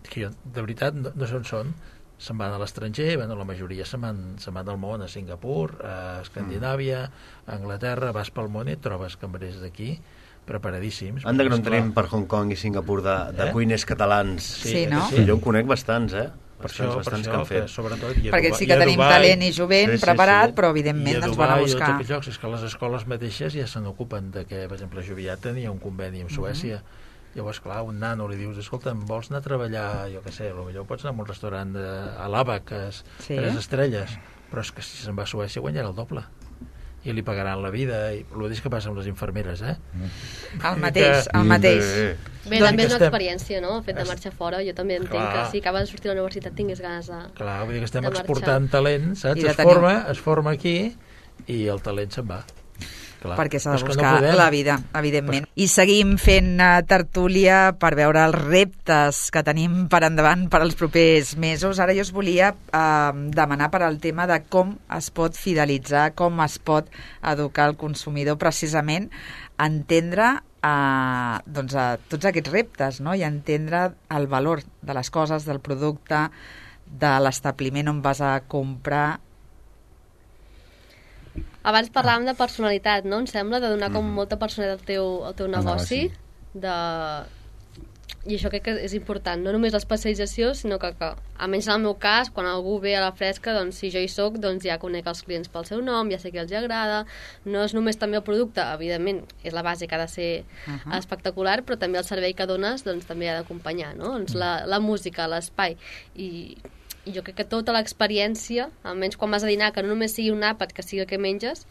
Que jo, de veritat, no, no sé on són, se'n van a l'estranger, bueno, la majoria se'n van, se van del món, a Singapur, a Escandinàvia, a Anglaterra, vas pel món i et trobes cambrers d'aquí preparadíssims. Anda que no en tenim per Hong Kong i Singapur de, de eh? cuiners catalans. Sí, sí, no? Sí, jo en conec bastants, eh? Per això, bastants per això, que han fet. Que, sobretot, perquè sí que tenim Dubai, talent i jovent sí, sí, preparat, sí. però evidentment ens van a buscar. I a Dubai, és que les escoles mateixes ja se n'ocupen de que, per exemple, Joviat tenia un conveni amb Suècia. Uh -huh. Llavors, clar, un nano li dius, escolta, vols anar a treballar, jo què sé, potser pots anar a un restaurant de, a l'Ava, que és sí. tres estrelles, però és que si se'n va a Suècia guanyarà el doble. I li pagaran la vida, i el mateix que passa amb les infermeres, eh? El mateix, el mateix. Bé, doncs també és una experiència, no? El fet de marxar fora, jo també entenc Clar. que si acabes de sortir de la universitat tingués ganes de Clar, vull dir que estem exportant talent, saps? Es forma, es forma aquí i el talent se'n va. Clar. perquè s'ha de És que no buscar podem. la vida, evidentment. I seguim fent uh, tertúlia per veure els reptes que tenim per endavant per als propers mesos. Ara jo us volia uh, demanar per al tema de com es pot fidelitzar, com es pot educar el consumidor precisament a entendre uh, doncs, uh, tots aquests reptes, no? I entendre el valor de les coses, del producte, de l'establiment on vas a comprar. Abans parlàvem de personalitat, no? Em sembla, de donar com molta personalitat al teu, al teu negoci. De... I això crec que és important. No només l'especialització, sinó que, que, almenys en el meu cas, quan algú ve a la fresca, doncs si jo hi soc, doncs ja conec els clients pel seu nom, ja sé que els agrada. No és només també el producte, evidentment, és la base que ha de ser uh -huh. espectacular, però també el servei que dones doncs, també ha d'acompanyar, no? Doncs la, la música, l'espai i... I jo crec que tota l'experiència, almenys quan vas a dinar, que no només sigui un àpat, que sigui el que menges,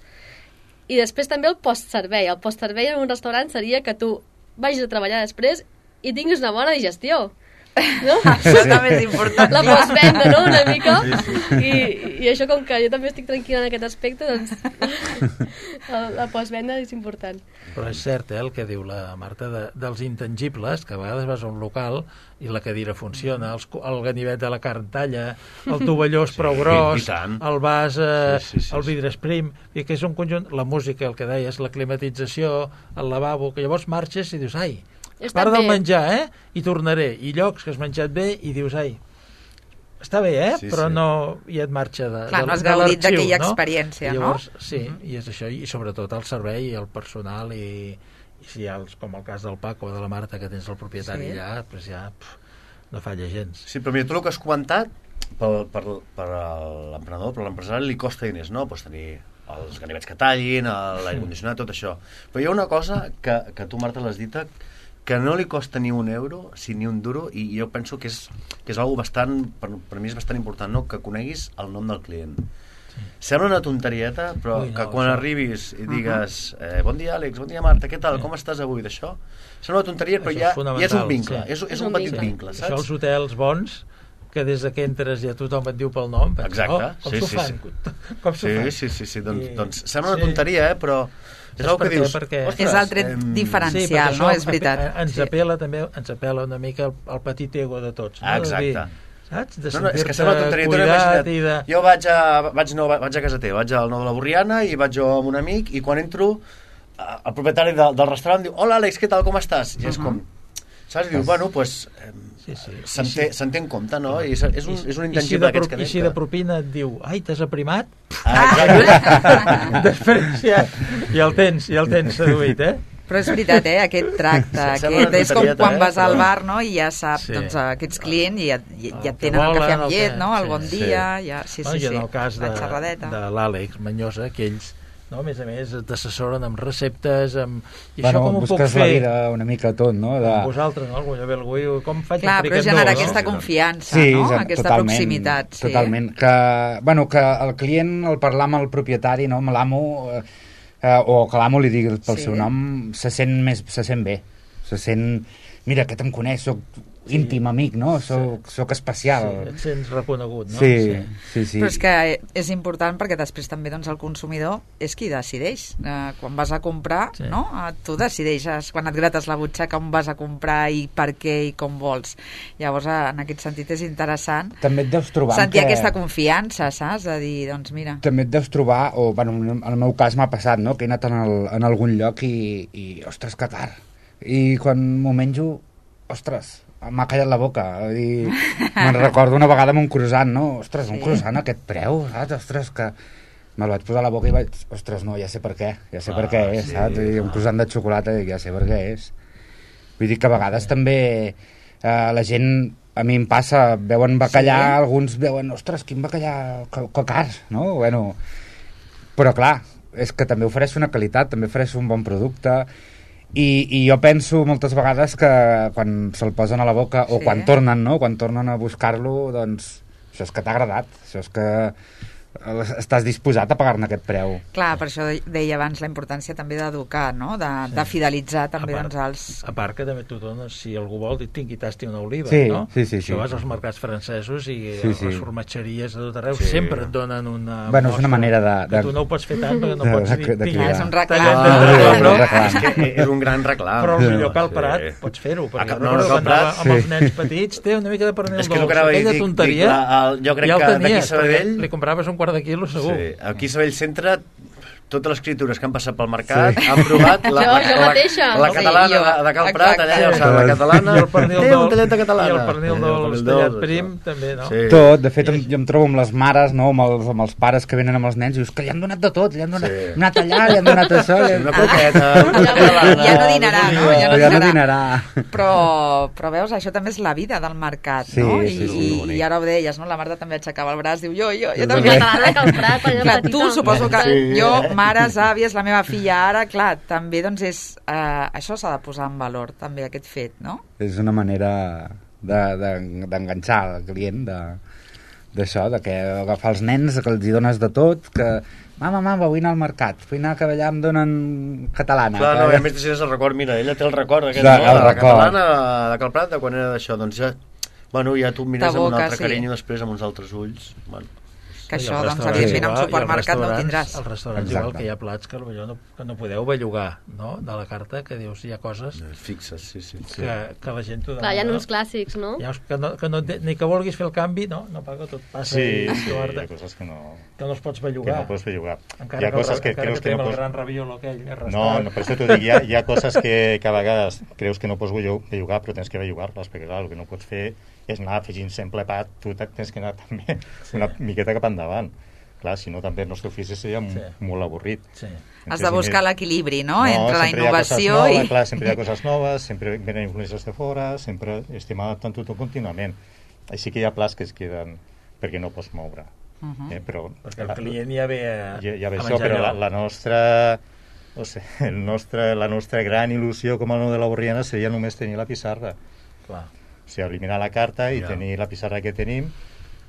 i després també el postservei. El postservei en un restaurant seria que tu vagis a treballar després i tinguis una bona digestió. No? Això també és important. La postvenda, no?, una mica. I, I això, com que jo també estic tranquil·la en aquest aspecte, doncs la, la postvenda és important. Però és cert, eh, el que diu la Marta de, dels intangibles, que a vegades vas a un local i la cadira funciona, els, el ganivet de la carn talla, el tovalló és prou Sí, gros, i tant. el vas, eh, Sí, sí, sí, el sí. vidre és prim, i que és un conjunt, la música, el que deies, la climatització, el lavabo, que llavors marxes i dius, ai, Està part del bé. menjar, eh? I tornaré. I llocs que has menjat bé i dius, ai, està bé, eh? Sí, Però sí. no i et marxa de, Clar, de, no has de gaudit l'arxiu, d'aquella no? experiència, I llavors, no? sí, uh -huh. i és això, i sobretot el servei, el personal, i, i si hi ha, els, com el cas del Paco o de la Marta, que tens el propietari Sí. allà, doncs ja pf, no falla gens. Sí, però mira, tu el que has comentat, per, per, per l'emprenedor, per l'empresari, li costa diners, no? Pots tenir els ganivets que tallin, l'aire condicionat, tot això. Però hi ha una cosa que, que tu, Marta, l'has dita, que no li costa ni un euro, si ni un duro, i jo penso que és, que és algo bastant, per, per mi és bastant important, no? Que coneguis el nom del client. Sí. Sembla una tonterieta, però Ui, no, que quan això... arribis i digues eh, bon dia, Àlex, bon dia, Marta, què tal, Sí. com estàs avui, d'això? Sembla una tonteria, però Això és ja, ja és fonamental, un vincle, sí. és, és És un un petit vincle. vincle, Això saps? els hotels bons, que des de que entres ja tothom et diu pel nom, penses, Exacte, oh, com sí, s'ho sí, fan? sí. Com s'ho Sí, fan? sí, sí, sí. Doncs, I- doncs sembla una sí. tonteria, eh? Però és Saps el que per què? dius. Perquè- ostres, És el tret em, diferencial. Sí, perquè no? això És veritat. ape- ens Sí. apela també, ens apela una mica el, el petit ego de tots. No? Ah, De dir, exacte. saps? De No, no, és que sentir-te sembla tonteria. Tu no cuidat imagina't, i de... Jo vaig a, vaig, no, vaig a casa teva, vaig al Nou de la Borriana i vaig jo amb un amic i quan entro eh, el propietari de, del restaurant diu hola Àlex, què tal, com estàs? I és Uh-huh. com, saps? I diu, bueno, doncs pues, eh, Sí, sí. se'n I si- té, se'n té en compte, no? I és, és, un, és un I si intangible de, d'aquests pro- que I si de propina et diu, ai, t'has aprimat? Ah, Després ja, ja el tens, ja el tens seduït, eh? Però és veritat, eh? Aquest tracte, Sí, sembla aquest, una és com tonterieta, quan eh? vas al Però- bar, no?, i ja saps, Sí. doncs, aquests clients i ja, ja, El ja que tenen el volen, cafè amb el llet, que- no?, el sí, bon sí. dia, ja, sí, No, sí, I en sí, el cas de, la xerradeta. de l'Àlex Manyosa, que ells, no, a més a més, t'assessoren amb receptes, amb... I Bueno, això com ho puc busques fer? la vida una mica tot, no? De... Amb vosaltres, no? Algú ve algú, com faig Clar, un però friquet generar nou, aquesta no? confiança, Sí, no?, ja, aquesta totalment, proximitat. Sí. Totalment. Que, bueno, que el client, al parlar amb el propietari, no, amb l'amo, eh, eh, o que l'amo li digui pel Sí. seu nom, se sent, més, se sent bé. Se sent, mira, aquest em coneix, soc íntim amic, no? Soc, soc especial. Sí, et sents reconegut, no? Sí, sí, sí. Però és que és important perquè després també doncs, el consumidor és qui decideix. Eh, quan vas a comprar, Sí. no? Eh, tu decideixes quan et grates la butxaca on vas a comprar i per què i com vols. Llavors, eh, en aquest sentit és interessant També et deus trobar amb sentir que... aquesta confiança, saps? De dir, doncs mira... També et deus trobar, o bueno, en el meu cas m'ha passat, no?, que he anat en, el, en algun lloc i, i ostres, que car. I quan m'ho menjo, ostres, m'ha callat la boca. I me'n recordo una vegada amb un croissant, no? Ostres, un Sí. croissant a aquest preu, saps? Ostres, que me'l vaig posar a la boca i vaig... Ostres, no, ja sé per què, ja sé Ah, per què és, sí, saps? I un clar. croissant de xocolata, dic, ja sé per què és. Vull dir que a vegades també eh, la gent, a mi em passa, veuen bacallà, Sí. alguns veuen, ostres, quin bacallà, que, que car, no? Bueno, però clar, és que també ofereix una qualitat, també ofereix un bon producte i, i jo penso moltes vegades que quan se'l posen a la boca o Sí. quan tornen, no? Quan tornen a buscar-lo, doncs això és que t'ha agradat, això és que estàs disposat a pagar-ne aquest preu. Clar, per això deia abans la importància també d'educar, no? De, sí. de fidelitzar també part, doncs, els... A part que també tu dones, si algú vol, tingui tasti una oliva, sí, no? Sí, sí, Això sí. vas als mercats francesos i sí, sí. les formatgeries de tot arreu sí. sempre et donen una bueno, és una manera de, de... que tu no ho pots fer tant perquè no de, pots de, dir... de, de ah, és un reclam. Ah, però, però, és que és un gran reclam. Però potser que al Prat sí. pots fer-ho, perquè no, no, no, Prat, amb els nens petits té una mica de pernil és que dolç, aquella tonteria, dic, la, el, jo crec ja el tenies, que d'aquí Sabadell... li compraves un quart de quilo segur. Sí. Aquí a Sabadell Centre totes les criatures que han passat pel mercat sí. han provat la, jo, la, jo la, la sí, catalana jo. de, de Cal Prat, allà, o sigui, la catalana, i el pernil té un dolç, tallet de catalana. I el pernil dolç tallat prim, també, no? Sí. Tot, de fet, jo em trobo amb les mares, no? amb, els, amb els pares que venen amb els nens, i dius que li han donat de tot, li han donat, sí. donat allà, li han donat això... Li... Una croqueta, una catalana... Ja no dinarà, no? Ja no ja dinarà. No dinarà. Però, però veus, això també és la vida del mercat, sí, no? Sí, I, sí, i, I ara ho deies, no? La Marta també aixecava el braç, diu jo, jo, jo sí, també. Catalana Cal Prat, quan era clar, petita. tu suposo que sí. jo, mares, àvies, la meva filla ara, clar, també doncs és... Eh, això s'ha de posar en valor, també, aquest fet, no? És una manera d'enganxar de, de, el client de, d'això, de que agafar els nens, que els hi dones de tot, que mama, mama, vull anar al mercat, vull anar a que allà em donen catalana. Clar, que... no, i a més tens el record, mira, ella té el record aquest, de, no? el la record. catalana de Cal Prat, de quan era d'això, doncs ja, bueno, ja tu mires amb un altre sí. carinyo després amb uns altres ulls, bueno. Que això, doncs, evidentment, en un supermercat no ho tindràs. Els restaurants exacte. Igual que hi ha plats que potser no, que no podeu bellugar, no?, de la carta, que dius, hi ha coses... Fixes, sí, sí. Que, que la gent t'ho demana. Clar, hi ha uns clàssics, no? Hi ha, que no, que no ni que vulguis fer el canvi, no, no paga, tot passa. Sí, sí, hi ha coses que no... Que no els pots bellugar. Que no pots bellugar. Encara hi ha coses que, que creus que, que no pots... el gran raviolo aquell, no, no, per això t'ho dic, hi ha, hi ha coses que, que a vegades creus que no pots bellugar, però tens que bellugar-les, perquè clar, el que no pots fer és anar afegint sempre pa, tu tens que anar també sí. una miqueta cap endavant. Clar, si no també el nostre ofici seria sí. molt avorrit. Sí. Has de buscar l'equilibri, no?, no, entre la innovació noves, i... Clar, sempre hi ha coses noves, sempre venen influències de fora, sempre estem adaptant tot contínuament. Així que hi ha plats que es queden perquè no pots moure. Uh -huh. eh, però, perquè el client ja ve a, ja, ja ve a això, però la, la nostra... O sigui, el nostre, la nostra gran il·lusió com a nou de la Borriana seria només tenir la pissarra. Clar. O sigui, eliminar la carta i ja. tenir la pissarra que tenim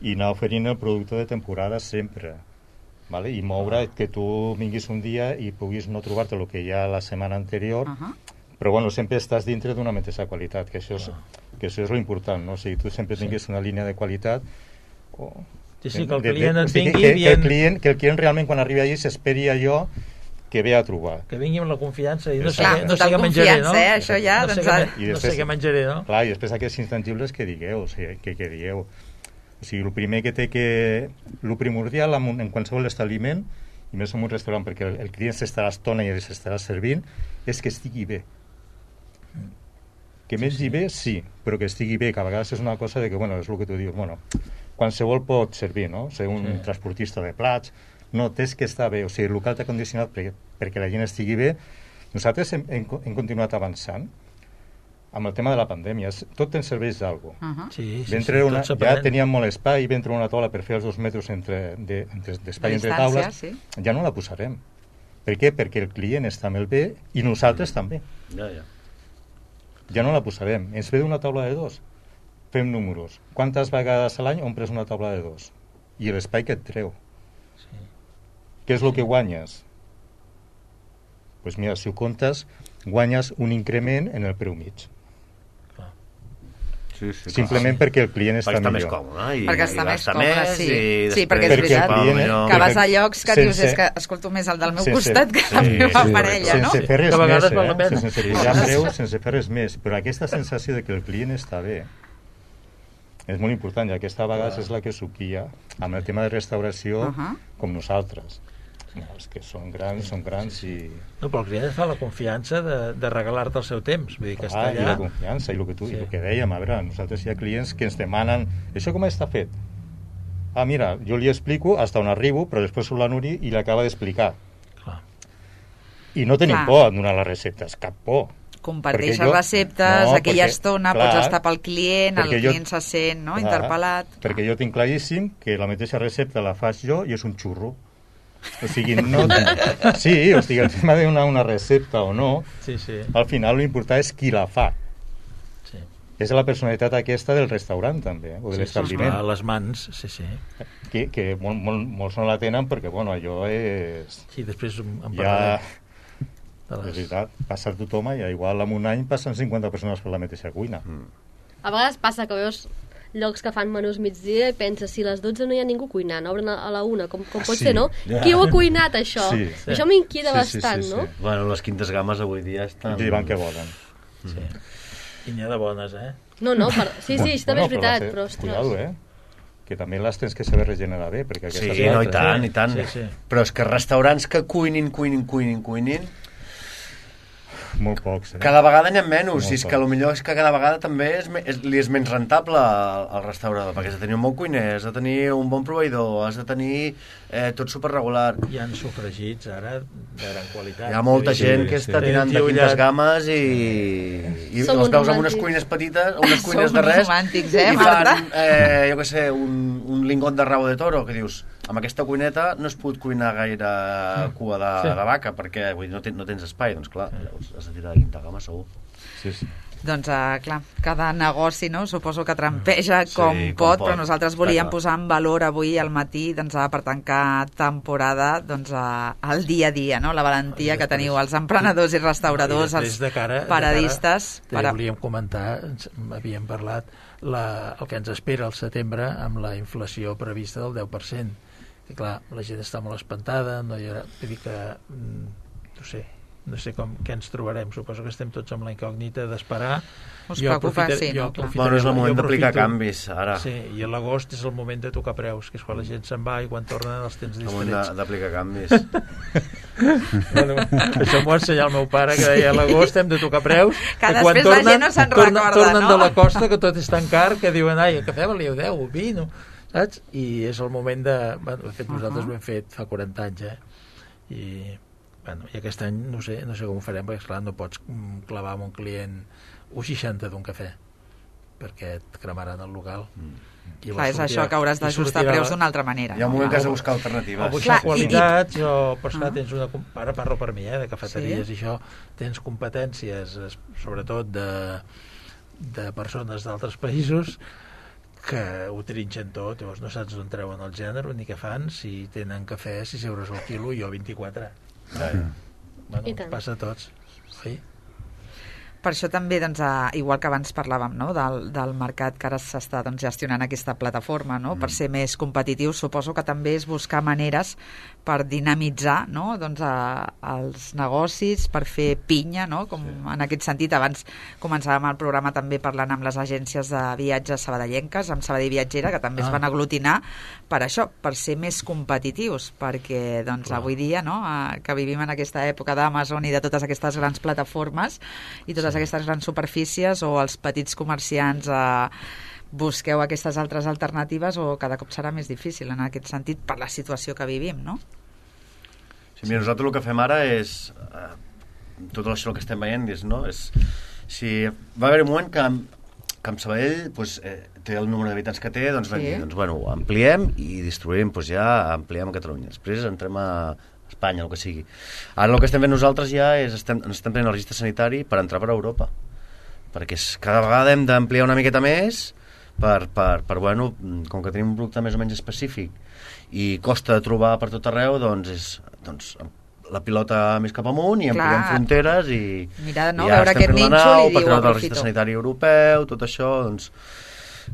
i anar oferint el producte de temporada sempre, vale? I moure que tu vinguis un dia i puguis no trobar-te el que hi ha la setmana anterior, uh -huh. però bueno, sempre estàs dintre d'una mateixa qualitat, que això és, que això és lo important, no? O sigui, tu sempre tinguis sí. una línia de qualitat o... Sí, sí, que el client de, de, et vingui que, bien... que, el client, que el client realment quan arribi allí s'esperi allò que ve a trobar. Que vingui amb la confiança i no sé, clar, no sé què menjaré, no? Eh? Això ja, no, doncs, sé què, I després, no sé què menjaré, no? Clar, i després aquests intangibles que digueu, o sigui, que, que digueu. O sigui, el primer que té que... El primordial en, en qualsevol establiment, i més en un restaurant, perquè el, el client s'estarà estona i s'estarà servint, és que estigui bé. Que mengi sí, sí. bé, sí, però que estigui bé, que a vegades és una cosa de que, bueno, és el que tu dius, bueno, qualsevol pot servir, no? Ser un sí. transportista de plats, no, tens que estar bé, o sigui, el local t'ha condicionat perquè, perquè la gent estigui bé. Nosaltres hem, hem, hem continuat avançant amb el tema de la pandèmia, tot ens serveix d'alguna cosa. Uh -huh. Sí, sí, sí, una, ja teníem molt espai, vam treure una taula per fer els dos metres entre, de, entre, d'espai entre taules, sí. ja no la posarem. Per què? Perquè el client està amb el bé i nosaltres també. Ja, ja. Ja no la posarem. Ens ve d'una taula de dos. Fem números. Quantes vegades a l'any omples una taula de dos? I l'espai que et treu. Sí. Què és el que guanyes? Doncs pues mira, si ho comptes, guanyes un increment en el preu mig. Sí, sí, simplement clar. perquè el client està, està millor. Més còmode, i, perquè està i més còmode, sí. I sí, perquè és veritat client, que vas a llocs que sense, dius és que escolto més el del meu sense, costat que sí, la meva sí, parella, sense no? Sense fer res que més, eh? sense fer preu, sense fer res més. Però aquesta sensació de que el client està bé és molt important, i aquesta vegada és la que suquia amb el tema de restauració uh -huh. com nosaltres. No, els que són grans, són grans i... No, però el client fa la confiança de, de regalar-te el seu temps. Vull dir que ah, està allà... I la confiança, i el que, tu, sí. el que dèiem, a veure, nosaltres hi ha clients que ens demanen això com està fet? Ah, mira, jo li explico fins on arribo, però després surt la Núria i l'acaba d'explicar. Clar. I no tenim clar. por a donar les receptes, cap por. Comparteixes jo, receptes, no, aquella perquè, estona clar, pots estar pel client, el client jo, se sent no, clar, interpel·lat. Perquè jo tinc claríssim que la mateixa recepta la faig jo i és un xurro. O sigui, no... Sí, o sigui, el tema de donar una recepta o no, sí, sí. al final l'important és qui la fa. Sí. és la personalitat aquesta del restaurant, també, o de Sí, l'establiment. sí, les mans, sí, sí. Que, que mol, mol, molts no la tenen perquè, bueno, allò és... Sí, després en Ja, parlarem. De és les... veritat, passa tothom i igual en un any passen cinquanta persones per la mateixa cuina. Mm. A vegades passa que veus llocs que fan menús migdia i penses, si a les dotze no hi ha ningú cuinant, obren a la una, com, com pot Sí, ser, no? ja. Qui ho ha cuinat, això? Sí. Això m'inquieta Sí, sí, bastant, sí, sí. no? Bueno, les quintes games avui dia estan... I van que volen. Sí. I n'hi ha de bones, eh? No, no, per... sí, sí, això també és Bueno, veritat, però però, va ser- ostres... Cuidado, eh? Que també les tens que saber regenerar bé, perquè Sí, aquestes no, i altres- tant, i tant. Sí, sí. Però és que restaurants que cuinin, cuinin, cuinin, cuinin, Molt pocs, eh? cada vegada n'hi ha menys. Molt I és que poc. potser és que cada vegada també és, me- és, li és menys rentable al, al restaurador, perquè has de tenir un bon cuiner, has de tenir un bon proveïdor, has de tenir eh, tot superregular. Hi ha sofregits ara de gran qualitat. Hi ha molta Sí, gent sí, que sí. està tirant de Tenen quintes tiullat. games i, i Som els uns veus amb unes romàntics. cuines petites, unes cuines Som de res, romàntics, eh, i Marta? fan, eh, jo què sé, un, un lingot de rabo de toro, que dius, amb aquesta cuineta no es pot cuinar gaire cua de, Sí. de vaca, perquè vull dir, no, ten, no tens espai, doncs clar, llavors has de tirar de quinta gama segur. Sí, sí. Doncs, uh, clar, cada negoci, no?, suposo que trampeja com, Sí, com pot, pot. però nosaltres Està volíem clar. posar en valor avui al matí, doncs, uh, per tancar temporada, doncs, uh, el dia a dia, no?, la valentia I que després- teniu els emprenedors i restauradors, I després els de cara, paradistes... de cara, per... volíem comentar, ens havíem parlat la, el que ens espera al setembre amb la inflació prevista del deu per cent. I clar, la gent està molt espantada, no hi haurà... Vull dir que, mm, no sé, no sé com, què ens trobarem. Suposo que estem tots amb la incògnita d'esperar. Us Jo preocupa, aprofitaré- sí, jo no? Clar. aprofitaré- Bueno, és el moment jo d'aplicar aprofito- canvis, ara. Sí, i a l'agost és el moment de tocar preus, que és quan la gent se'n va i quan tornen els tens El moment de- distrets. d'aplicar canvis. Bueno, això m'ho va ensenyar el meu pare, que deia a l'agost hem de tocar preus, Que que quan després la tornen, gent no se'n tornen, recorda, tornen no? de la costa, que tot és tan car, que diuen, ai, el cafè valia deu, vino, saps? I és el moment de... Bueno, de fet, nosaltres Uh-huh. ho hem fet fa quaranta anys, eh? I, bueno, i aquest any no sé, no sé com ho farem, perquè, esclar, no pots mm, clavar amb un client un seixanta d'un cafè, perquè et cremaran el local. Mm. I Clar, és sortirà- això, que hauràs i d'ajustar sortirà- preus d'una altra manera. Hi ha un no? moment que has de o- buscar o alternatives. buscar Clar, i- qualitats, o per Ah. esclar, tens una... com- Ara parlo per mi, eh, de cafeteries i això, tens competències, es- sobretot de, de persones d'altres països, que ho trinxen tot, llavors no saps d'on treuen el gènere ni què fan, si tenen cafè sis euros al quilo i jo vint-i-quatre. Bueno, I tant. passa a tots. Oi? Per això també, doncs, eh, igual que abans parlàvem, no?, del, del mercat que ara s'està, doncs, gestionant aquesta plataforma, no?, per ser més competitius, suposo que també és buscar maneres per dinamitzar, no?, doncs, eh, els negocis, per fer pinya, no?, com en aquest sentit. Abans començàvem el programa també parlant amb les agències de viatges sabadellenques, amb Sabadell Viatgera, que també Ah. es van aglutinar per això, per ser més competitius, perquè, doncs, Clar. avui dia, no?, eh, que vivim en aquesta època d'Amazon i de totes aquestes grans plataformes i totes aquestes grans superfícies, o els petits comerciants eh, busqueu aquestes altres alternatives, o cada cop serà més difícil en aquest sentit per la situació que vivim, no? Sí, mira, nosaltres el que fem ara és eh, tot això que estem veient és, no? És, si va haver un moment que, que amb Sabadell pues, eh, té el número d'habitants que té, doncs, Sí. vam dir, doncs bueno, ampliem i distribuïm, doncs ja ampliem a Catalunya. Després entrem a Espanya, el que sigui. Ara el que estem fent nosaltres ja és estem, ens estem prenent el registre sanitari per entrar per Europa, perquè és, cada vegada hem d'ampliar una miqueta més per, per, per, bueno, com que tenim un producte més o menys específic i costa de trobar per tot arreu, doncs és doncs, la pilota més cap amunt i ampliem Clar. fronteres i, Mira, no, i ja veure estem aquest fent la nínxol nau i per diu, treure el aprofito. registre sanitari europeu, tot això, doncs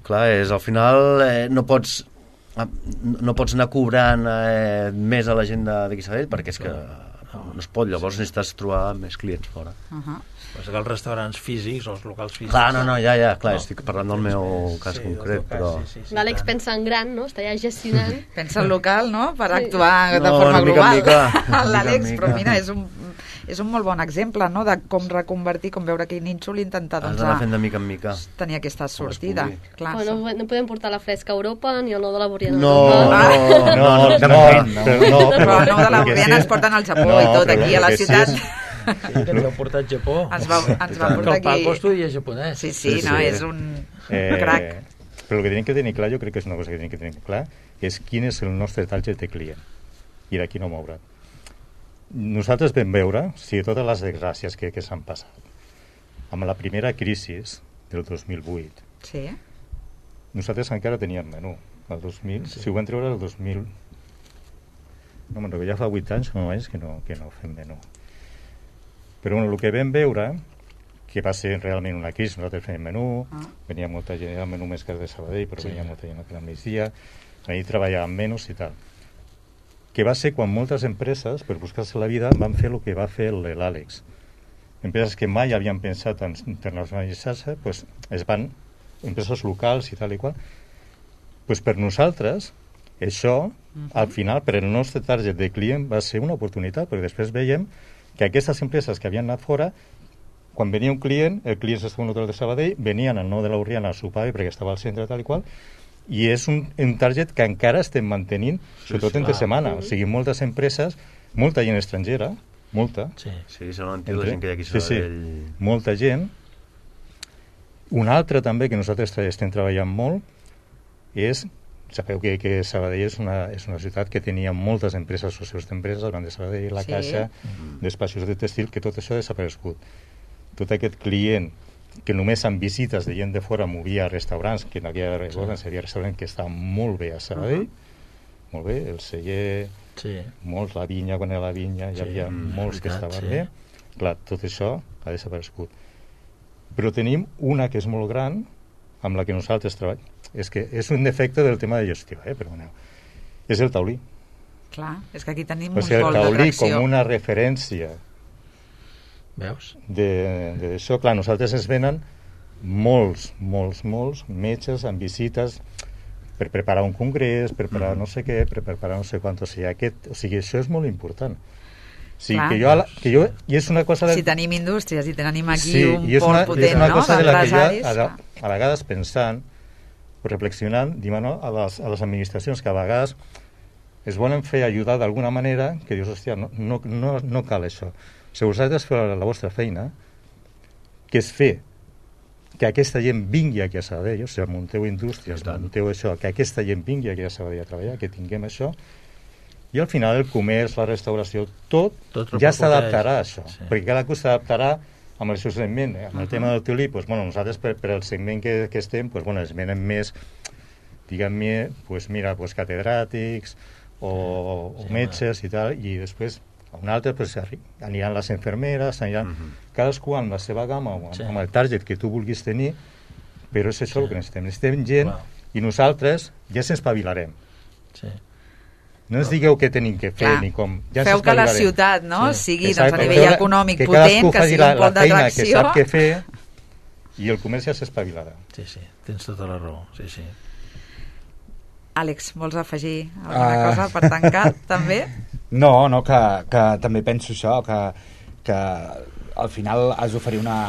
clar, és al final eh, no pots no pots anar cobrant eh, més a la gent de- d'aquí Sabadell perquè és que no, no es pot, llavors necessites trobar més clients fora. Uh -huh. Passa que els restaurants físics o els locals físics... Clar, no, no, ja, ja, clar, No. estic parlant del meu cas Sí, del concret, teu cas, però... sí, sí, sí, L'Àlex tant. pensa en gran, no? Està ja gestionant. Pensa en local, no?, per Sí. actuar de No, forma de mica en global. mica, de mica en L'Àlex, mica. però mira, és un, és un molt bon exemple, no?, de com reconvertir, com veure aquell nínxol i intentar, Has doncs, d'anar a fent de mica en mica. tenir aquesta Com es sortida. pugui. Clar, Però no, no podem portar la fresca a Europa ni el nou de la Borriana a No, Europa. no, no, no, de no, moment, no. però no, però no, de la el que Borriana sí- ens porten al Japó No, i tot, però aquí a el la que sí ciutat. és- Sí, que ens heu portat a Japó. Ens va, ens va Que portar el Paco aquí... estudia japonès. Sí, sí, Sí, no, sí. és un Eh, crac. Però el que tenim que tenir clar, jo crec que és una cosa que tenim que tenir clar, és quin és el nostre target de client i d'aquí no moure. Nosaltres vam veure, si totes les desgràcies que, que s'han passat, amb la primera crisi, del dos mil vuit. Sí. Nosaltres encara teníem menú. El dos mil, sí. Si ho van treure el dos mil... No me'n recordo, ja fa vuit anys o nou anys que no, que no fem menú. Però bueno, el que vam veure, que va ser realment una crisi, nosaltres fèiem menú, ah. venia molta gent, era el menú més car de Sabadell, però sí. venia molta gent al migdia, allà treballàvem menys i tal. Que va ser quan moltes empreses, per buscar-se la vida, van fer el que va fer l'Àlex. Empreses que mai havien pensat en internacionalitzar-se, pues, es van, empreses locals i tal i qual, pues per nosaltres, això, uh-huh. al final, per el nostre target de client, va ser una oportunitat, perquè després veiem que aquestes empreses que havien anat fora, quan venia un client, el client s'estava en un hotel de Sabadell, venien al nou de l'Orriana a sopar perquè estava al centre tal i qual, i és un, un target que encara estem mantenint, sí, sobretot sí, entre ah, setmana. Sí. O sigui, moltes empreses, molta gent estrangera, molta. Sí, sí se l'han entès la gent que hi ha aquí a Sabadell. Sí, sí, molta gent. Un altre també que nosaltres estem treballant molt és, sabeu que, que Sabadell és una, és una ciutat que tenia moltes empreses, socials d'empreses, el Banc de Sabadell, la sí. Caixa, mm. despatxos de textil, que tot això ha desaparegut. Tot aquest client que només amb visites de gent de fora movia a restaurants, que en aquella època sí. Seria restaurant que estava molt bé a Sabadell, uh-huh. molt bé, el celler, sí. molts, la vinya, quan era la vinya, sí. hi havia mm, molts veritat, que estaven sí. bé. Clar, tot això ha desaparegut. Però tenim una que és molt gran, amb la que nosaltres treballem. És que és un defecte del tema de gestió, eh? Perdoneu. És el taulí. Clar, és que aquí tenim o sigui, un vol d'atracció. El taulí com una referència. Veus? D'això, clar, nosaltres ens venen molts, molts, molts metges amb visites per preparar un congrés, per preparar mm. no sé què, per preparar no sé quant, o sigui, aquest, o sigui, això és molt important. O sigui, que jo, que jo, i és una cosa de... Si tenim indústries i tenim aquí sí, un pol una, potent, és una no? cosa de la que jo, a, a vegades pensant, reflexionant, diem, no? a, les, a les administracions que a vegades es volen fer ajudar d'alguna manera, que dius, hòstia, no, no, no, no cal això. Si vosaltres feu la, la vostra feina, que és fer que aquesta gent vingui aquí a Sabadell, o sigui, munteu indústries, munteu això, que aquesta gent vingui aquí a Sabadell a treballar, que tinguem això, i al final el comerç, la restauració, tot, tot ja s'adaptarà a això, sí. perquè cada cosa s'adaptarà amb el seu segment. Eh? Amb el uh-huh. tema del taulí, pues, bueno, nosaltres per, per el segment que, que estem, pues, bueno, es venen més, diguem-ne, pues, mira, pues, catedràtics o, sí, o metges i tal, i després un altre, pues, aniran les infermeres, aniran uh-huh. cadascú amb la seva gamma, amb, sí. amb el target que tu vulguis tenir, però és això sí. el que necessitem. Necessitem gent wow. i nosaltres ja s'espavilarem. Sí. No ens digueu què tenim que fer, clar. Ni com... Ja feu que la ciutat no? sí. sigui doncs, a nivell que econòmic que potent, que sigui un pol d'atracció. Que sap què fer i el comerç ja s'espavilarà. Sí, sí, tens tota la raó. Sí, sí. Àlex, vols afegir alguna uh... cosa per tancar, també? No, no, que, que també penso això, que, que al final has d'oferir una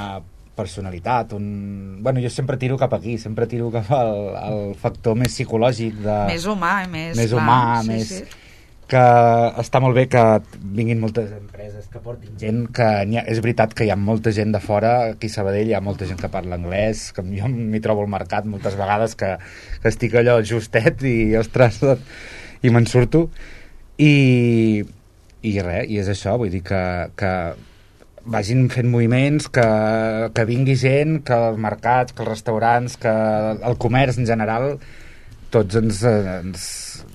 personalitat, un... Bueno, jo sempre tiro cap aquí, sempre tiro cap al, al factor més psicològic de... Més humà, més... Més clar, humà, sí, més... Sí. Que està molt bé que vinguin moltes empreses, que portin gent, que ha, és veritat que hi ha molta gent de fora, aquí a Sabadell hi ha molta gent que parla anglès, que jo m'hi trobo al mercat moltes vegades que, que estic allò justet i, ostres, i me'n surto. I, i res, i és això, vull dir que, que vagin fent moviments, que, que vingui gent, que els mercats, que els restaurants, que el comerç en general, tots ens, ens,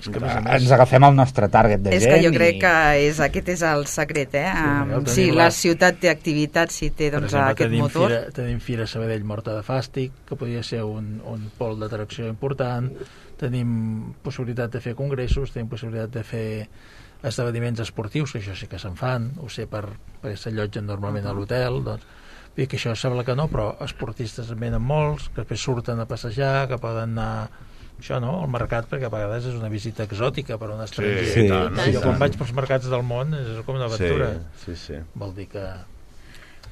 ens agafem al nostre target de és gent. És que jo crec i... que és, aquest és el secret, eh? Sí, um, si la... la ciutat té activitat, si té doncs, exemple, aquest tenim motor... Fira, tenim Fira Sabadell Morta de Fàstic, que podria ser un, un pol d'atracció important, tenim possibilitat de fer congressos, tenim possibilitat de fer esdeveniments esportius, que això sí que se'n fan, ho sé per, perquè s'allotgen normalment uh-huh. a l'hotel, doncs, i que això sembla que no, però esportistes en venen molts, que després surten a passejar, que poden anar això no, al mercat, perquè a vegades és una visita exòtica per a un estranger. Sí, sí, tant, jo quan vaig pels mercats del món és com una aventura. Sí, sí, sí. Vol dir que...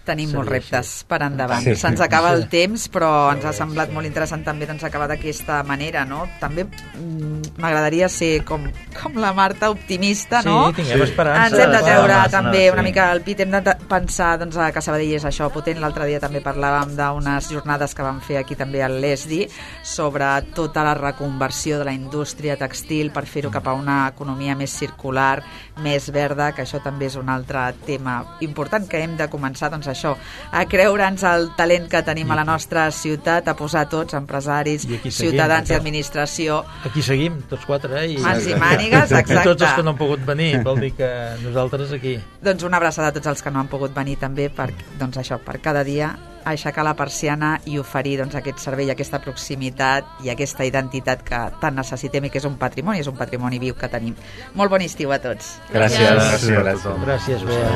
Tenim molts reptes així. Per endavant. Sí. Se'ns acaba el temps, però ens ha semblat molt interessant també doncs, acabar d'aquesta manera, no? També mm, m'agradaria ser com, com la Marta, optimista, no? Sí, tinguem esperança. Ens hem de treure ah, també sí. una mica el pit, hem de pensar doncs, que Sabadell és això potent. L'altre dia també parlàvem d'unes jornades que vam fer aquí també al l'ESDI sobre tota la reconversió de la indústria textil per fer-ho cap a una economia més circular, més verda, que això també és un altre tema important que hem de començar doncs, això, a creure'ns el talent que tenim a la nostra ciutat, a posar tots, empresaris, seguim, ciutadans exacte. i administració. Aquí seguim, tots quatre, eh? I, mans i mànigues, exacte. Tots els que no han pogut venir, vol dir que nosaltres aquí. Doncs una abraçada a tots els que no han pogut venir també per, doncs això, per cada dia aixecar la persiana i oferir doncs, aquest servei, aquesta proximitat i aquesta identitat que tant necessitem i que és un patrimoni, és un patrimoni viu que tenim. Molt bon estiu a tots. Gràcies. Gràcies, gràcies. Gràcies, Bea.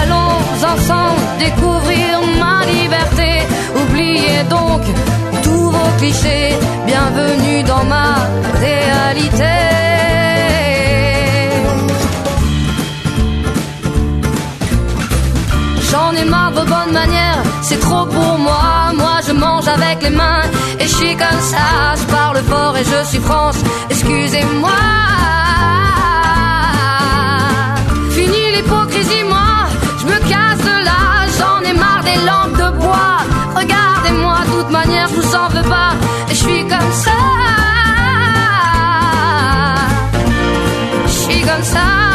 Allons ensemble découvrir ma liberté. Oubliez donc tous vos clichés. Bienvenue dans ma réalité. J'en ai marre de vos bonnes manières, c'est trop pour moi. Moi je mange avec les mains et je suis comme ça. Je parle fort et je suis France, excusez-moi. Fini l'hypocrisie, moi, je me casse de là. J'en ai marre des lampes de bois. Regardez-moi, de toute manière je vous en veux pas. Et je suis comme ça. Je suis comme ça.